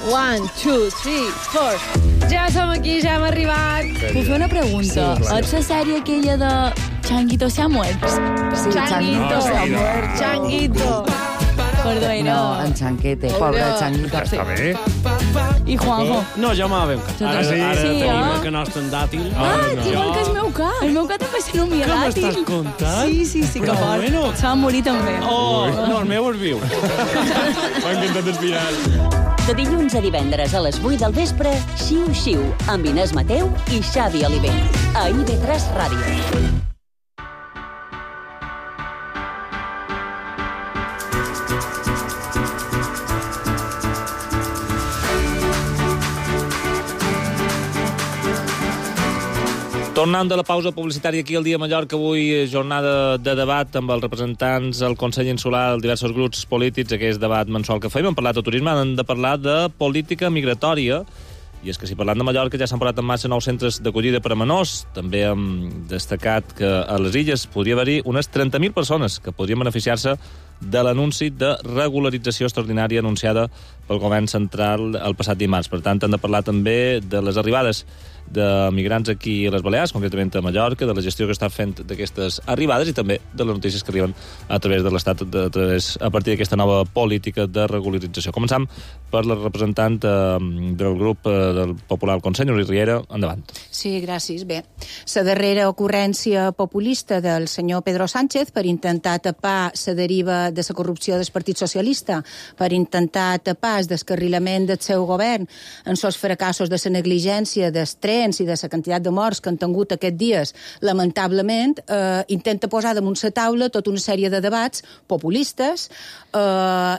1, 2, 3, 4. Ja som aquí, ja hem arribat. Puc fer una pregunta? Sí, és la sèrie aquella de Changuito se ha muerto? Sí, Changuito se ha muerto. Changuito. Perdó, No, en Chanquete, pobre Changuito. Està bé. I Juanjo. No, jo m'ha ben Ara tenim que no estan dàtil. Igual que el meu ca. El meu ca també se nomia dàtil. Què m'estàs contant? Sí, que fort. Se va morir també. No, el meu es viu. M'ha encantat el final. De dilluns a divendres a les 8 del vespre, Xiu Xiu, amb Inés Mateu i Xavi Oliver. A IB3 Ràdio. Tornant de la pausa publicitària aquí al Dia Mallorca, avui jornada de debat amb els representants del Consell Insular, els diversos grups polítics, aquest debat mensual que fem. Hem parlat de turisme, hem de parlar de política migratòria. I és que si parlant de Mallorca ja s'han posat en marxa nous centres d'acollida per a menors. També hem destacat que a les illes podria haver-hi unes 30.000 persones que podrien beneficiar-se de l'anunci de regularització extraordinària anunciada pel govern central el passat dimarts. Per tant, hem de parlar també de les arribades de migrants aquí a les Balears, concretament a Mallorca, de la gestió que està fent d'aquestes arribades i també de les notícies que arriben a través de l'Estat a partir d'aquesta nova política de regularització. Començam per la representant del grup del Popular al Consell, Núria Riera. Endavant. Sí, gràcies. Bé, la darrera ocurrència populista del senyor Pedro Sánchez per intentar tapar la deriva de la corrupció del Partit Socialista, per intentar tapar el descarrilament del seu govern en els fracassos de la negligència dels trens i de la quantitat de morts que han tingut aquests dies, lamentablement, intenta posar damunt la taula tota una sèrie de debats populistes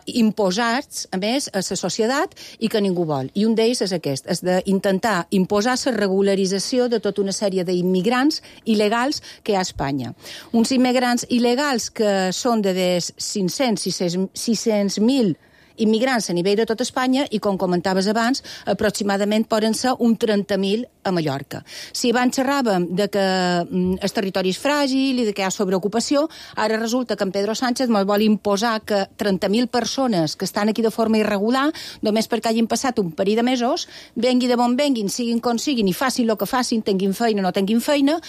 imposats, a més, a la societat i que ningú vol. I un d'ells és aquest, és d'intentar imposar la regularització de tota una sèrie d'immigrants il·legals que hi ha a Espanya. Uns immigrants il·legals que són de 600.000 immigrants a nivell de tot Espanya i, com comentaves abans, aproximadament poden ser un 30.000 a Mallorca. Si abans xerràvem de que el territori és fràgil i de que hi ha sobreocupació, ara resulta que en Pedro Sánchez ens vol imposar que 30.000 persones que estan aquí de forma irregular, només perquè hagin passat un parell de mesos, vengui de bon venguin, siguin com siguin i facin el que facin, tinguin feina o no tinguin feina,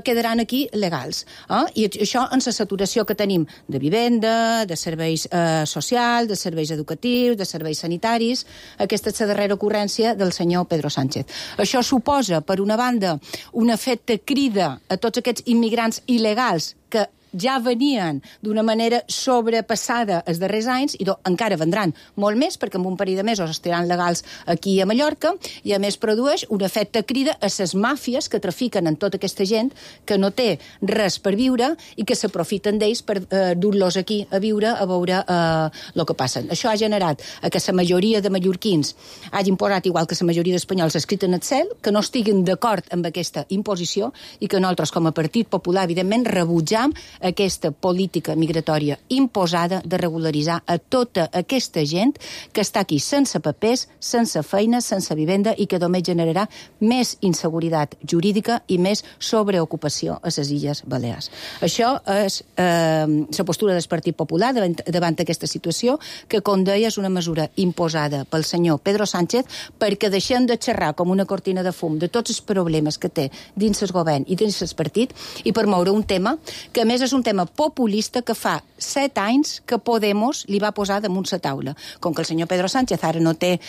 quedaran aquí legals. I això en la saturació que tenim de vivenda, de serveis socials, de serveis educatius, de serveis sanitaris. Aquesta és la darrera ocurrència del senyor Pedro Sánchez. Això suposa, per una banda, un efecte crida a tots aquests immigrants il·legals que ja venien d'una manera sobrepassada els darrers anys i encara vendran molt més perquè en un parell de mesos estaran legals aquí a Mallorca i a més produeix un efecte crida a les màfies que trafiquen en tota aquesta gent que no té res per viure i que s'aprofiten d'ells per dur-los aquí a viure a veure el que passa. Això ha generat que la majoria de mallorquins hagin posat, igual que la majoria d'espanyols, escrit en el cel, que no estiguin d'acord amb aquesta imposició i que nosaltres com a Partit Popular evidentment rebutjam aquesta política migratòria imposada de regularitzar a tota aquesta gent que està aquí sense papers, sense feina, sense vivenda i que només generarà més inseguretat jurídica i més sobreocupació a les Illes Balears. Això és la postura del Partit Popular davant d'aquesta situació que, com deia, és una mesura imposada pel senyor Pedro Sánchez perquè deixem de xerrar com una cortina de fum de tots els problemes que té dins el govern i dins el partit i per moure un tema que, a més, és un tema populista que fa 7 anys que Podemos li va posar damunt la taula. Com que el senyor Pedro Sánchez ara no té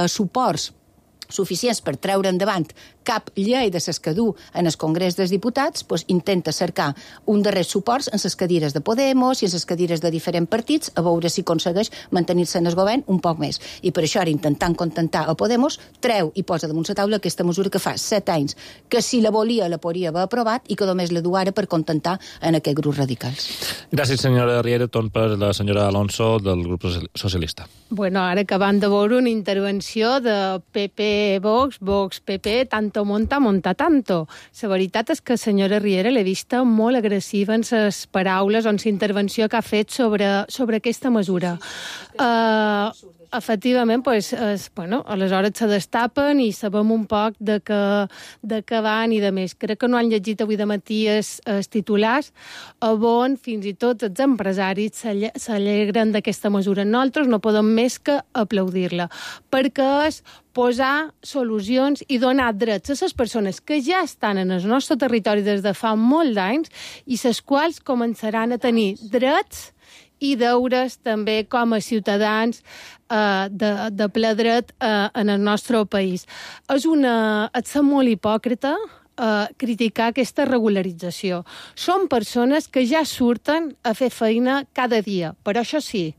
suports suficients per treure endavant cap llei de les que du en el Congrés dels Diputats, doncs intenta cercar un darrer suports en les cadires de Podemos i en les cadires de diferents partits a veure si aconsegueix mantenir-se en el govern un poc més. I per això ara, intentant contentar a Podemos, treu i posa damunt la taula aquesta mesura que fa 7 anys que si la volia la podria haver aprovat i que només la du ara per contentar en aquest grup radicals. Gràcies, senyora Riera. Torn per la senyora Alonso del grup socialista. Bueno, ara acabant de veure una intervenció de PP Vox, Vox PP, tanto monta tanto. La veritat és que la senyora Riera l'he vista molt agressiva en les paraules o en la intervenció que ha fet sobre aquesta mesura. Efectivament, aleshores se destapen i sabem un poc de què van i de més. Crec que no han llegit avui de matí els titulars on fins i tot els empresaris s'alegren d'aquesta mesura. Nosaltres no podem més que aplaudir-la, perquè és posar solucions i donar drets a les persones que ja estan en el nostre territori des de fa molt d'anys i les quals començaran a tenir drets i deures també com a ciutadans de ple dret en el nostre país. És ser molt hipòcrita criticar aquesta regularització. Són persones que ja surten a fer feina cada dia, però això sí,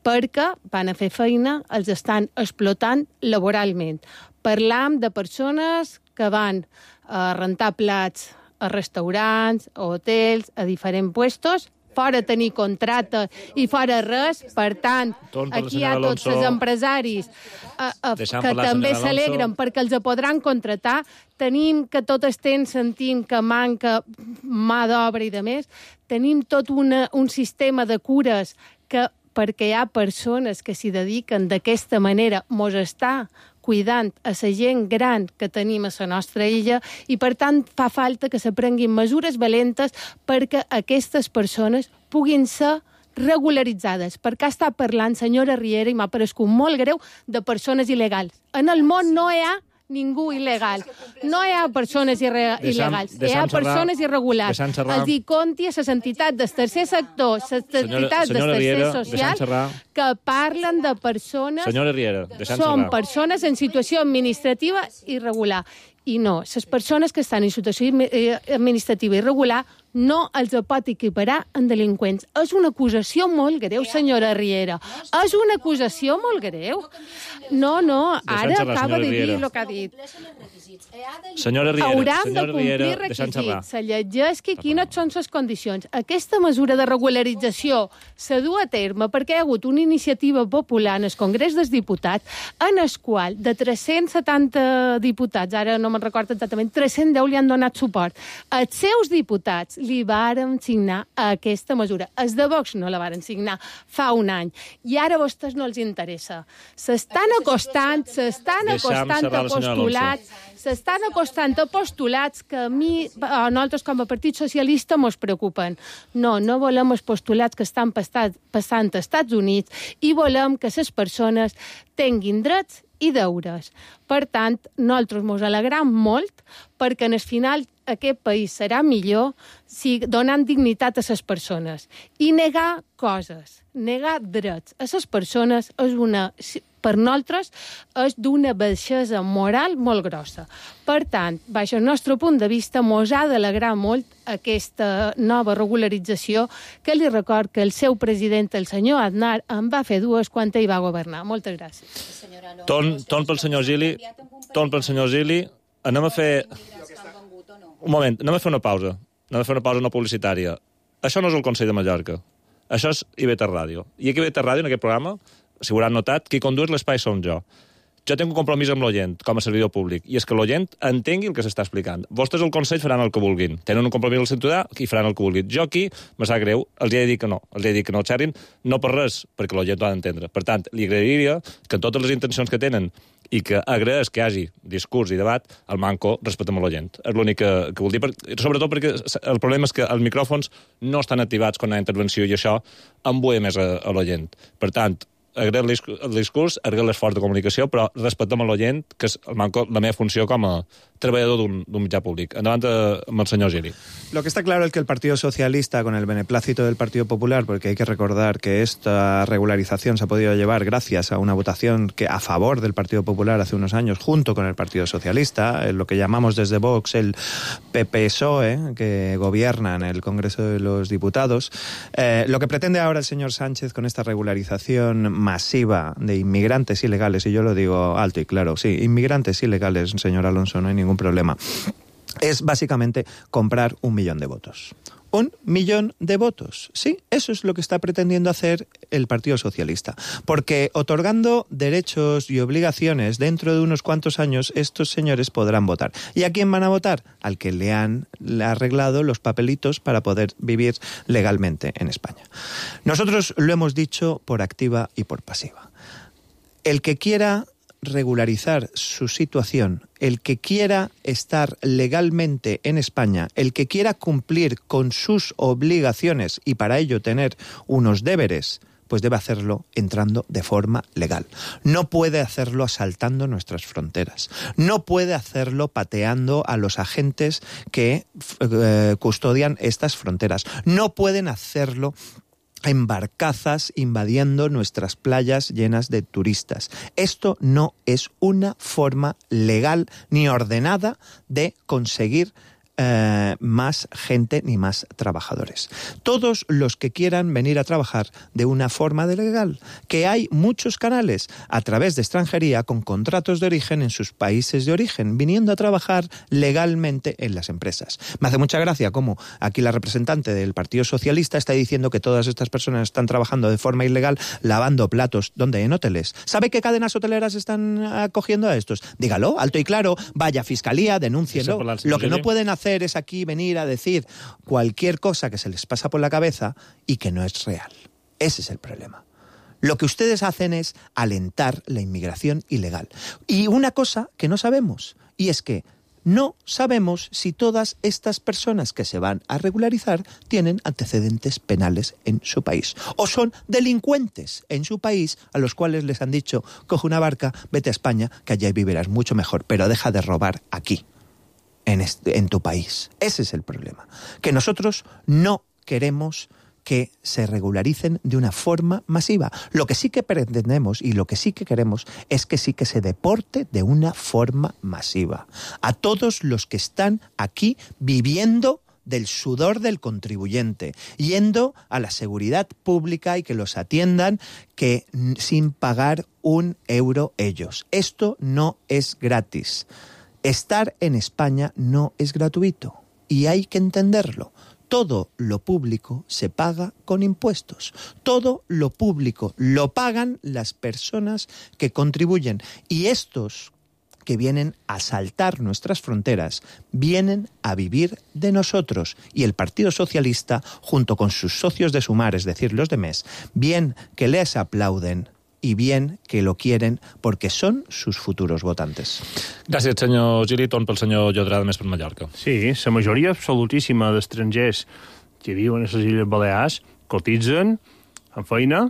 perquè van a fer feina, els estan explotant laboralment. Parlam de persones que van a rentar plats a restaurants, a hotels, a diferents puestos, fora tenir contracte i fora res. Per tant, aquí hi ha tots els empresaris que també s'alegren perquè els podran contractar. Tenim que tot estem sentint que manca mà d'obra i de més. Tenim tot un sistema de cures que, perquè hi ha persones que s'hi dediquen d'aquesta manera, mos està cuidant a la gent gran que tenim a la nostra illa i, per tant, fa falta que se prenguin mesures valentes perquè aquestes persones puguin ser regularitzades. Perquè està parlant, senyora Riera, i m'ha parescut molt greu, de persones il·legals. En el món no hi ha ningú il·legal. No hi ha persones il·legals. Hi ha persones irregulars. Els hi compti a les entitats del tercer sector, les entitats del tercer social, que parlen de persones... Senyora Riera, són persones en situació administrativa irregular. I no, les persones que estan en situació administrativa irregular no els pot equiparar en delinqüents. És una acusació molt greu, senyora Riera. És una acusació molt greu. No, ara acaba de dir el que ha dit. Senyora Riera, hauran de complir requisits. Se llegeix quines són les condicions. Aquesta mesura de regularització se du a terme perquè hi ha hagut una iniciativa popular en el Congrés dels Diputats en el qual de 370 diputats, ara no me'n recordo exactament, 310 li han donat suport. Els seus diputats li varen signar aquesta mesura. Els de Vox no la varen signar fa un any. I ara a vostès no els interessa. S'estan acostant a postulats que a nosaltres com a Partit Socialista mos preocupen. No volem els postulats que estan passant als Estats Units i volem que les persones tinguin drets i deures. Per tant, nosaltres ens alegram molt perquè en el final aquest país serà millor donant dignitat a les persones. I negar coses, negar drets a les persones per nosaltres és d'una baixesa moral molt grossa. Per tant, baix el nostre punt de vista, mos ha d'alegrar molt aquesta nova regularització que li record que el seu president, el senyor Aznar, en va fer 2 quan ell va governar. Moltes gràcies. Torn pel senyor Gili. Anem a fer... Un moment, anem a fer una pausa. Anem a fer una pausa no publicitària. Això no és el Consell de Mallorca. Això és IB3 Ràdio. I aquí a IB3 Ràdio, en aquest programa, si ho hauran notat, qui condueix l'espai som jo. Jo tinc un compromís amb l'oient, com a servidor públic, i és que l'oient entengui el que s'està explicant. Vostès al Consell faran el que vulguin. Tenen un compromís al ciutadà i faran el que vulguin. Jo aquí, me sap greu, els he de dir que no. Els he de dir que no xerrin, no per res, perquè l'oient ho ha d'entendre. Per tant, li agrairia que totes les intencions que tenen i que agraeix que hi hagi discurs i debat, el manco respectem a l'oient. És l'únic que vull dir, sobretot perquè el problema és que els micròfons no estan activats quan hi ha intervenció i això embuia més a l'oient. Per tant, agrair el discurs, agrair l'esforç de comunicació, però respectem a l'oient, que és la meva funció com a treballador d'un mitjà públic. Endavant amb el señor Gili. Lo que está claro es que el Partido Socialista, con el beneplácito del Partido Popular, porque hay que recordar que esta regularización se ha podido llevar gracias a una votación que a favor del Partido Popular hace unos años, junto con el Partido Socialista, lo que llamamos desde Vox el PPSOE, que gobierna en el Congreso de los Diputados. Lo que pretende ahora el señor Sánchez con esta regularización masiva de inmigrantes ilegales, y yo lo digo alto y claro, sí, inmigrantes ilegales, señor Alonso, no hay ningún problema, es básicamente comprar 1 millón de votos. 1 millón de votos. Sí, eso es lo que está pretendiendo hacer el Partido Socialista. Porque otorgando derechos y obligaciones dentro de unos cuantos años, estos señores podrán votar. ¿Y a quién van a votar? Al que le han arreglado los papelitos para poder vivir legalmente en España. Nosotros lo hemos dicho por activa y por pasiva. El que quiera regularizar su situación, el que quiera estar legalmente en España, el que quiera cumplir con sus obligaciones y para ello tener unos deberes, pues debe hacerlo entrando de forma legal. No puede hacerlo asaltando nuestras fronteras. No puede hacerlo pateando a los agentes que custodian estas fronteras. No pueden hacerlo en barcazas invadiendo nuestras playas llenas de turistas. Esto no es una forma legal ni ordenada de conseguir más gente ni más trabajadores. Todos los que quieran venir a trabajar de una forma legal, que hay muchos canales a través de extranjería con contratos de origen en sus países de origen, viniendo a trabajar legalmente en las empresas. Me hace mucha gracia cómo aquí la representante del Partido Socialista está diciendo que todas estas personas están trabajando de forma ilegal lavando platos. ¿Dónde? En hoteles. ¿Sabe qué cadenas hoteleras están acogiendo a estos? Dígalo, alto y claro, vaya a fiscalía, denúncielo. Lo que no pueden hacer es aquí venir a decir cualquier cosa que se les pasa por la cabeza y que no es real. Ese es el problema. Lo que ustedes hacen es alentar la inmigración ilegal. Y una cosa que no sabemos, y es que no sabemos si todas estas personas que se van a regularizar tienen antecedentes penales en su país o son delincuentes en su país a los cuales les han dicho, coge una barca, vete a España, que allá vivirás mucho mejor, pero deja de robar aquí. En tu país. Ese es el problema. Que nosotros no queremos que se regularicen de una forma masiva. Lo que sí que pretendemos y lo que sí que queremos es que sí que se deporte de una forma masiva a todos los que están aquí viviendo del sudor del contribuyente, yendo a la seguridad pública y que los atiendan que sin pagar un euro ellos. Esto no es gratis. Estar en España no es gratuito y hay que entenderlo. Todo lo público se paga con impuestos. Todo lo público lo pagan las personas que contribuyen. Y estos que vienen a saltar nuestras fronteras vienen a vivir de nosotros. Y el Partido Socialista, junto con sus socios de Sumar, es decir, los de MES, bien que les aplauden i bien que lo quieren porque són sus futuros votantes. Gràcies, senyor Gili. Torn pel senyor Llodrà, de Més per Mallorca. Sí, la majoria absolutíssima d'estrangers que viuen a les Illes Balears cotitzen, fan feina,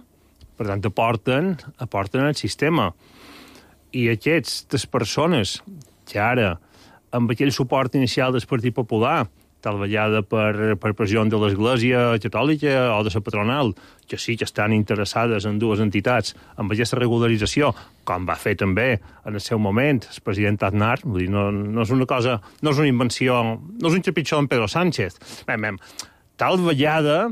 per tant aporten al sistema. I aquestes persones que ara, amb aquell suport inicial del Partit Popular, tal vegada per pressió de l'Església Catòlica o de la patronal, que sí que estan interessades en dues entitats amb aquesta regularització, com va fer també en el seu moment el president Aznar. Vull dir, no és una cosa, no és una invenció, no és un trepitjó en Pedro Sánchez. Tal vegada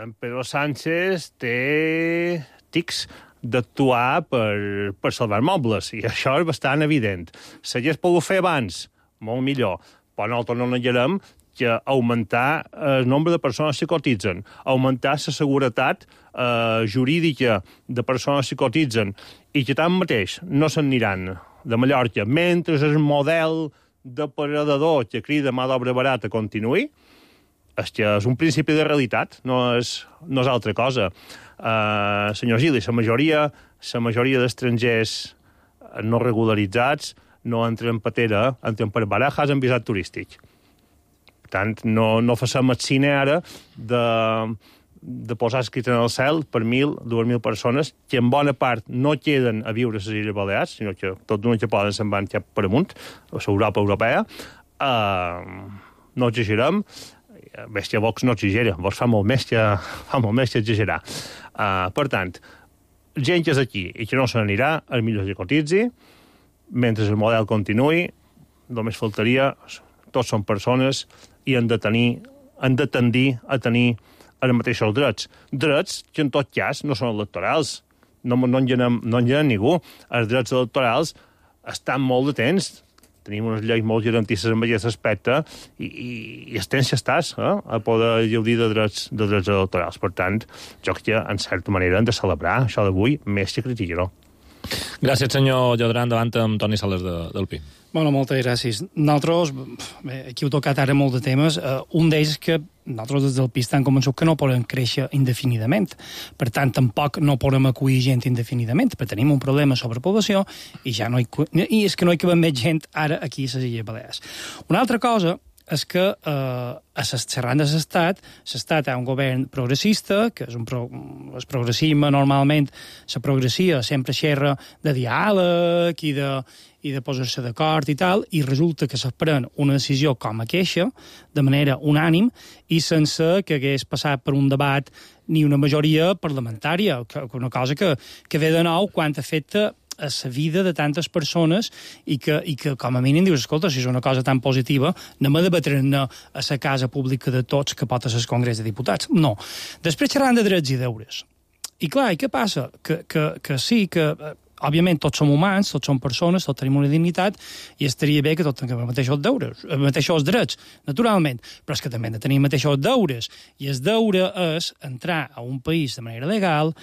en Pedro Sánchez té tics d'actuar per salvar mobles, i això és bastant evident. Si hagués pogut fer abans, molt millor, però nosaltres no negarem que augmentar el nombre de persones que cotitzen, augmentar la seguretat jurídica de persones que cotitzen i que tanmateix no se'n aniran de Mallorca mentre el model depredador que crida mà d'obra barata continuï, és que és un principi de realitat, no és altra cosa. Senyor Gili, la majoria d'estrangers no regularitzats no entren per Tera, entren per Barajas en visat turístic. Per tant, no facem el cine ara de posar escrit en el cel per 1.000, 2.000 persones que en bona part no queden a viure a les Illes Balears, sinó que tot d'una que poden se'n van cap per amunt, a l'Europa europea. No exagerem. Veig que Vox no exagera. Vox fa molt més que exagerar. Per tant, gent que és aquí i que no se n'anirà, és millor que cotitzi, mentre el model continuï, només faltaria, tots són persones i han de tendir a tenir els mateixos drets. Drets que en tot cas no són electorals. No en llenem ningú. Els drets electorals estan molt de temps. Tenim unes lleis molt garantistes en aquest aspecte i el temps ja estàs a poder gaudir de drets electorals. Per tant, jo crec que en certa manera hem de celebrar això d'avui més que criticar-ho. Gràcies, senyor Llodrà. Endavant amb Toni Sales del PI. Bueno, moltes gràcies. Nosaltres, aquí heu tocat ara molt de temes. Un d'ells és que nosaltres des del PI estem convençuts que no podem créixer indefinidament. Per tant, tampoc no podem acollir gent indefinidament, perquè tenim un problema de sobrepoblació i és que no hi cabem més gent ara aquí a les Illes Balears. Una altra cosa és que xerrant de l'Estat hi ha un govern progressista, que és el progressisme normalment, la progressia sempre xerra de diàleg i de posar-se d'acord i tal, i resulta que se pren una decisió com aquesta, de manera unànim, i sense que hagués passat per un debat ni una majoria parlamentària, una cosa que ve de nou quan afecta a la vida de tantes persones i que com a mínim dius, escolta, si és una cosa tan positiva, anem a debatre'n a la casa pública de tots que pot ser el Congrés de Diputats. No. Després xerrant de drets i deures. I clar, i què passa? Que sí, que òbviament tots som humans, tots som persones, tots tenim una dignitat i estaria bé que tots tinguem els mateixos deures, els mateixos drets, naturalment, però és que també hem de tenir els mateixos deures. I el deure és entrar a un país de manera legal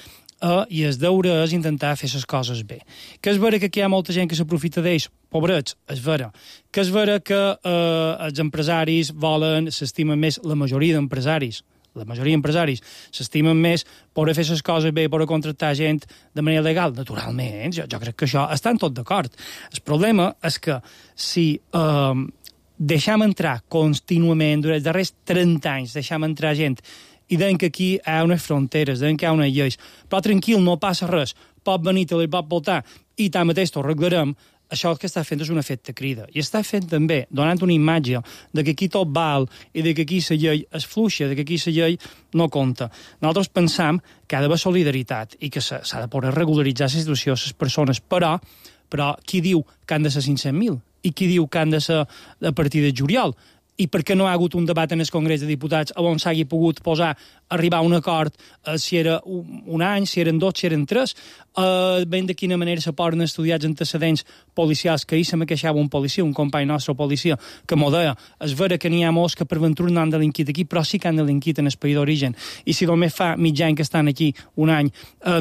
i el deure és intentar fer les coses bé. Que és vera que aquí hi ha molta gent que s'aprofita d'ells, pobrets, és vera. Que és vera que els empresaris s'estimen més, la majoria d'empresaris s'estimen més per fer les coses bé, per contractar gent de manera legal. Naturalment, jo crec que això estan tots d'acord. El problema és que si deixem entrar contínuament, durant els darrers 30 anys, deixem entrar gent i deien que aquí hi ha unes fronteres, deien que hi ha unes lleis, però tranquil, no passa res, pot venir, te li pot voltar, i tanmateix t'ho arreglarem. Això que està fent és un efecte crida. I està fent també, donant una imatge de que aquí tot val i de que aquí la llei és fluixa, de que aquí la llei no compta. Nosaltres pensam que ha d'haver solidaritat i que s'ha de poder regularitzar la situació de les persones, però qui diu que han de ser 500.000? I qui diu que han de ser a partir de juliol? I per què no ha hagut un debat en el Congrés de Diputats on s'hagi pogut arribar a un acord si era un any, si eren 2, si eren 3, ben de quina manera se poden estudiar els antecedents policials, que ahir se me queixava un policia, un company nostre policia, que m'ho deia, és vera que n'hi ha molts que per ventura no han delinquit aquí, però sí que han delinquit en el país d'origen, i si només fa mig any que estan aquí, un any,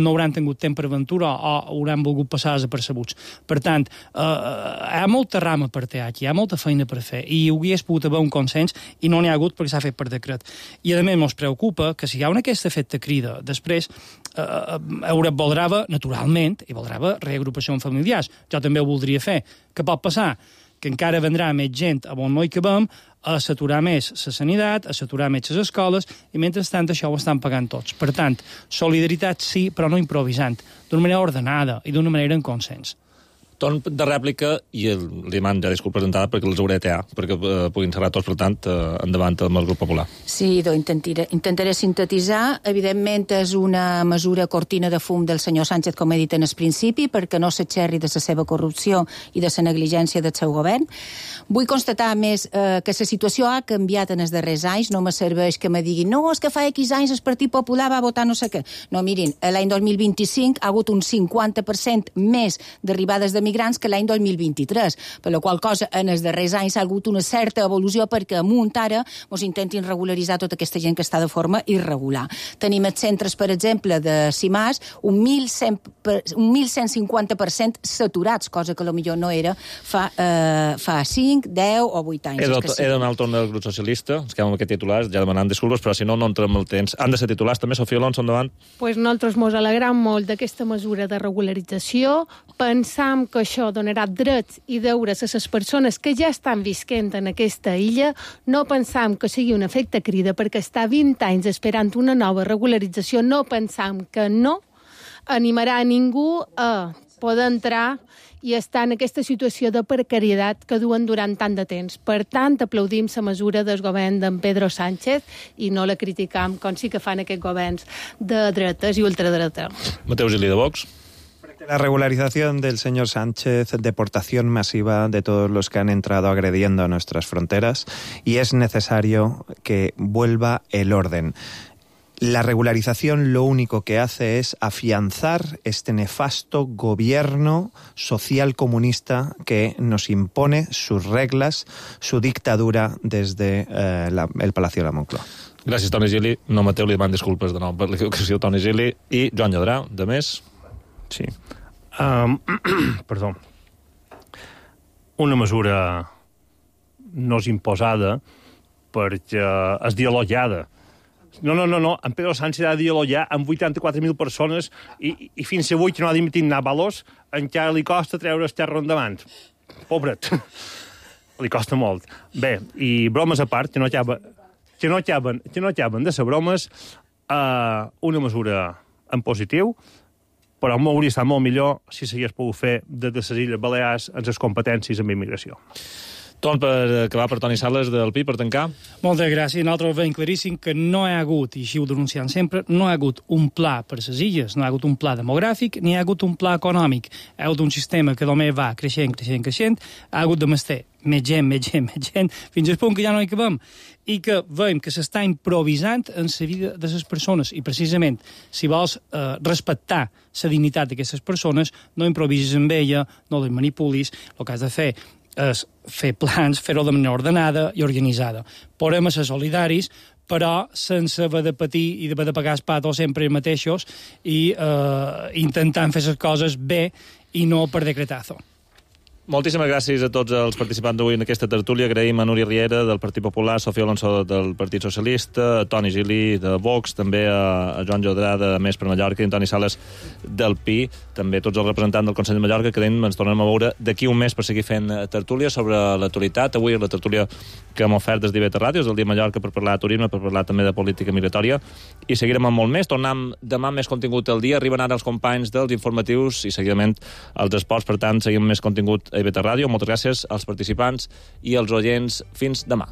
no hauran tingut temps per ventura o hauran volgut passar desapercebuts. Per tant, hi ha molta rama per ter aquí, hi ha molta feina per fer, i hi hauria pogut haver un consens, i no n'hi ha hagut perquè s'ha fet per decret. I a més ens preocupa que si hi ha aquest efecte crida, després Europa voldrà, naturalment, i voldrà reagrupació familiars. Jo també ho voldria fer. Què pot passar? Que encara vendrà més gent a on no hi cabem, a saturar més la sanitat, a saturar més les escoles, i mentrestant això ho estan pagant tots. Per tant, solidaritat sí, però no improvisant, d'una manera ordenada i d'una manera en consens. Torn de rèplica i li demano ja disculpes d'entrada perquè els hauré de tear, perquè puguin xerrar tots, per tant, endavant amb el grup popular. Sí, intentaré sintetitzar. Evidentment és una mesura cortina de fum del senyor Sánchez, com he dit en el principi, perquè no s'aixerri de la seva corrupció i de la negligència del seu govern. Vull constatar, més, que la situació ha canviat en els darrers anys. No me serveix que me diguin no, és que fa X anys el Partit Popular va votar no sé què. No, mirin, l'any 2025 ha hagut un 50% més d'arribades de migrants que l'any 2023, per la qual cosa en els darrers anys ha hagut una certa evolució perquè amunt ara ens intentin regularitzar tota aquesta gent que està de forma irregular. Tenim els centres, per exemple, de CIMAS, un 1150% saturats, cosa que potser no era fa 5, 10 o 8 anys. He donat el torn del grup socialista, ens quedem amb aquest titular, ja demanant disculpes, però si no entrem el temps. Han de ser titulars també, Sofia Alonso, endavant. Pues nosaltres mos alegram molt d'aquesta mesura de regularització. Pensam que això donarà drets i deures a les persones que ja estan visquent en aquesta illa. No pensam que sigui un efecte crida, perquè està 20 anys esperant una nova regularització. No pensam que no animarà a ningú a poder entrar i estar en aquesta situació de precarietat que duen durant tant de temps. Per tant, aplaudim la mesura del govern d'en Pedro Sánchez i no la criticam com sí que fan aquests governs de dretes i ultradreta. Mateu Gili, de Vox. La regularización del señor Sánchez, deportación masiva de todos los que han entrado agrediendo a nuestras fronteras, y es necesario que vuelva el orden. La regularización lo único que hace es afianzar este nefasto gobierno social comunista que nos impone sus reglas, su dictadura desde el Palacio de la Moncloa. Gràcies, Toni Gili. No, Mateu, li demano disculpes de nou per l'equivocació, Toni Gili. I Joan Lladrà, de més... Sí. Perdó. Una mesura no és imposada perquè és dialogada. No. En Pedro Sánchez ha de dialogar amb 84.000 persones i fins avui que no ha dimitit Navalos encara li costa treure el terra endavant. Pobret. li costa molt. Bé, i bromes a part, que no acaben de ser bromes, una mesura en positiu, però m'hauria estat molt millor si s'hagués pogut fer des de les Illes Balears en les competències en immigració. Torn per acabar per Toni Sales del PI, per tancar. Moltes gràcies. Nosaltres veiem claríssim que no hi ha hagut, i així ho denunciem sempre, no hi ha hagut un pla per les illes, no hi ha hagut un pla demogràfic, ni hi ha hagut un pla econòmic. Hi ha hagut un sistema que només va creixent, ha hagut de mester més gent, fins al punt que ja no hi cabem. I que veiem que s'està improvisant en la vida de les persones. I precisament, si vols respectar la dignitat d'aquestes persones, no improvisis amb ella, no les manipulis, el que has de fer és fer plans, fer-ho de manera ordenada i organitzada. Podem ser solidaris, però sense haver de patir i haver de pagar els patos sempre mateixos i intentant fer les coses bé i no per decretazo. Moltíssimes gràcies a tots els participants d'avui en aquesta tertúlia. Agraïm a Núria Riera, del Partit Popular, Sofia Alonso, del Partit Socialista, a Toni Gili, de Vox, també a Joan Jodrà, de Més per Mallorca, i a Toni Sales, del PI, també tots els representants del Consell de Mallorca, que ens tornem a veure d'aquí un mes per seguir fent tertúlia sobre l'actualitat. Avui la tertúlia que hem ofert des d'IV3 Ràdio, és el dia Mallorca, per parlar de turisme, per parlar també de política migratòria, i seguirem amb molt més. Tornem demà més contingut al dia. Arriben ara els companys dels informatius i seguidament els esports. Per tant, seguim més contingut a IV3 Ràdio. Moltes gràcies als participants i als oients. Fins demà.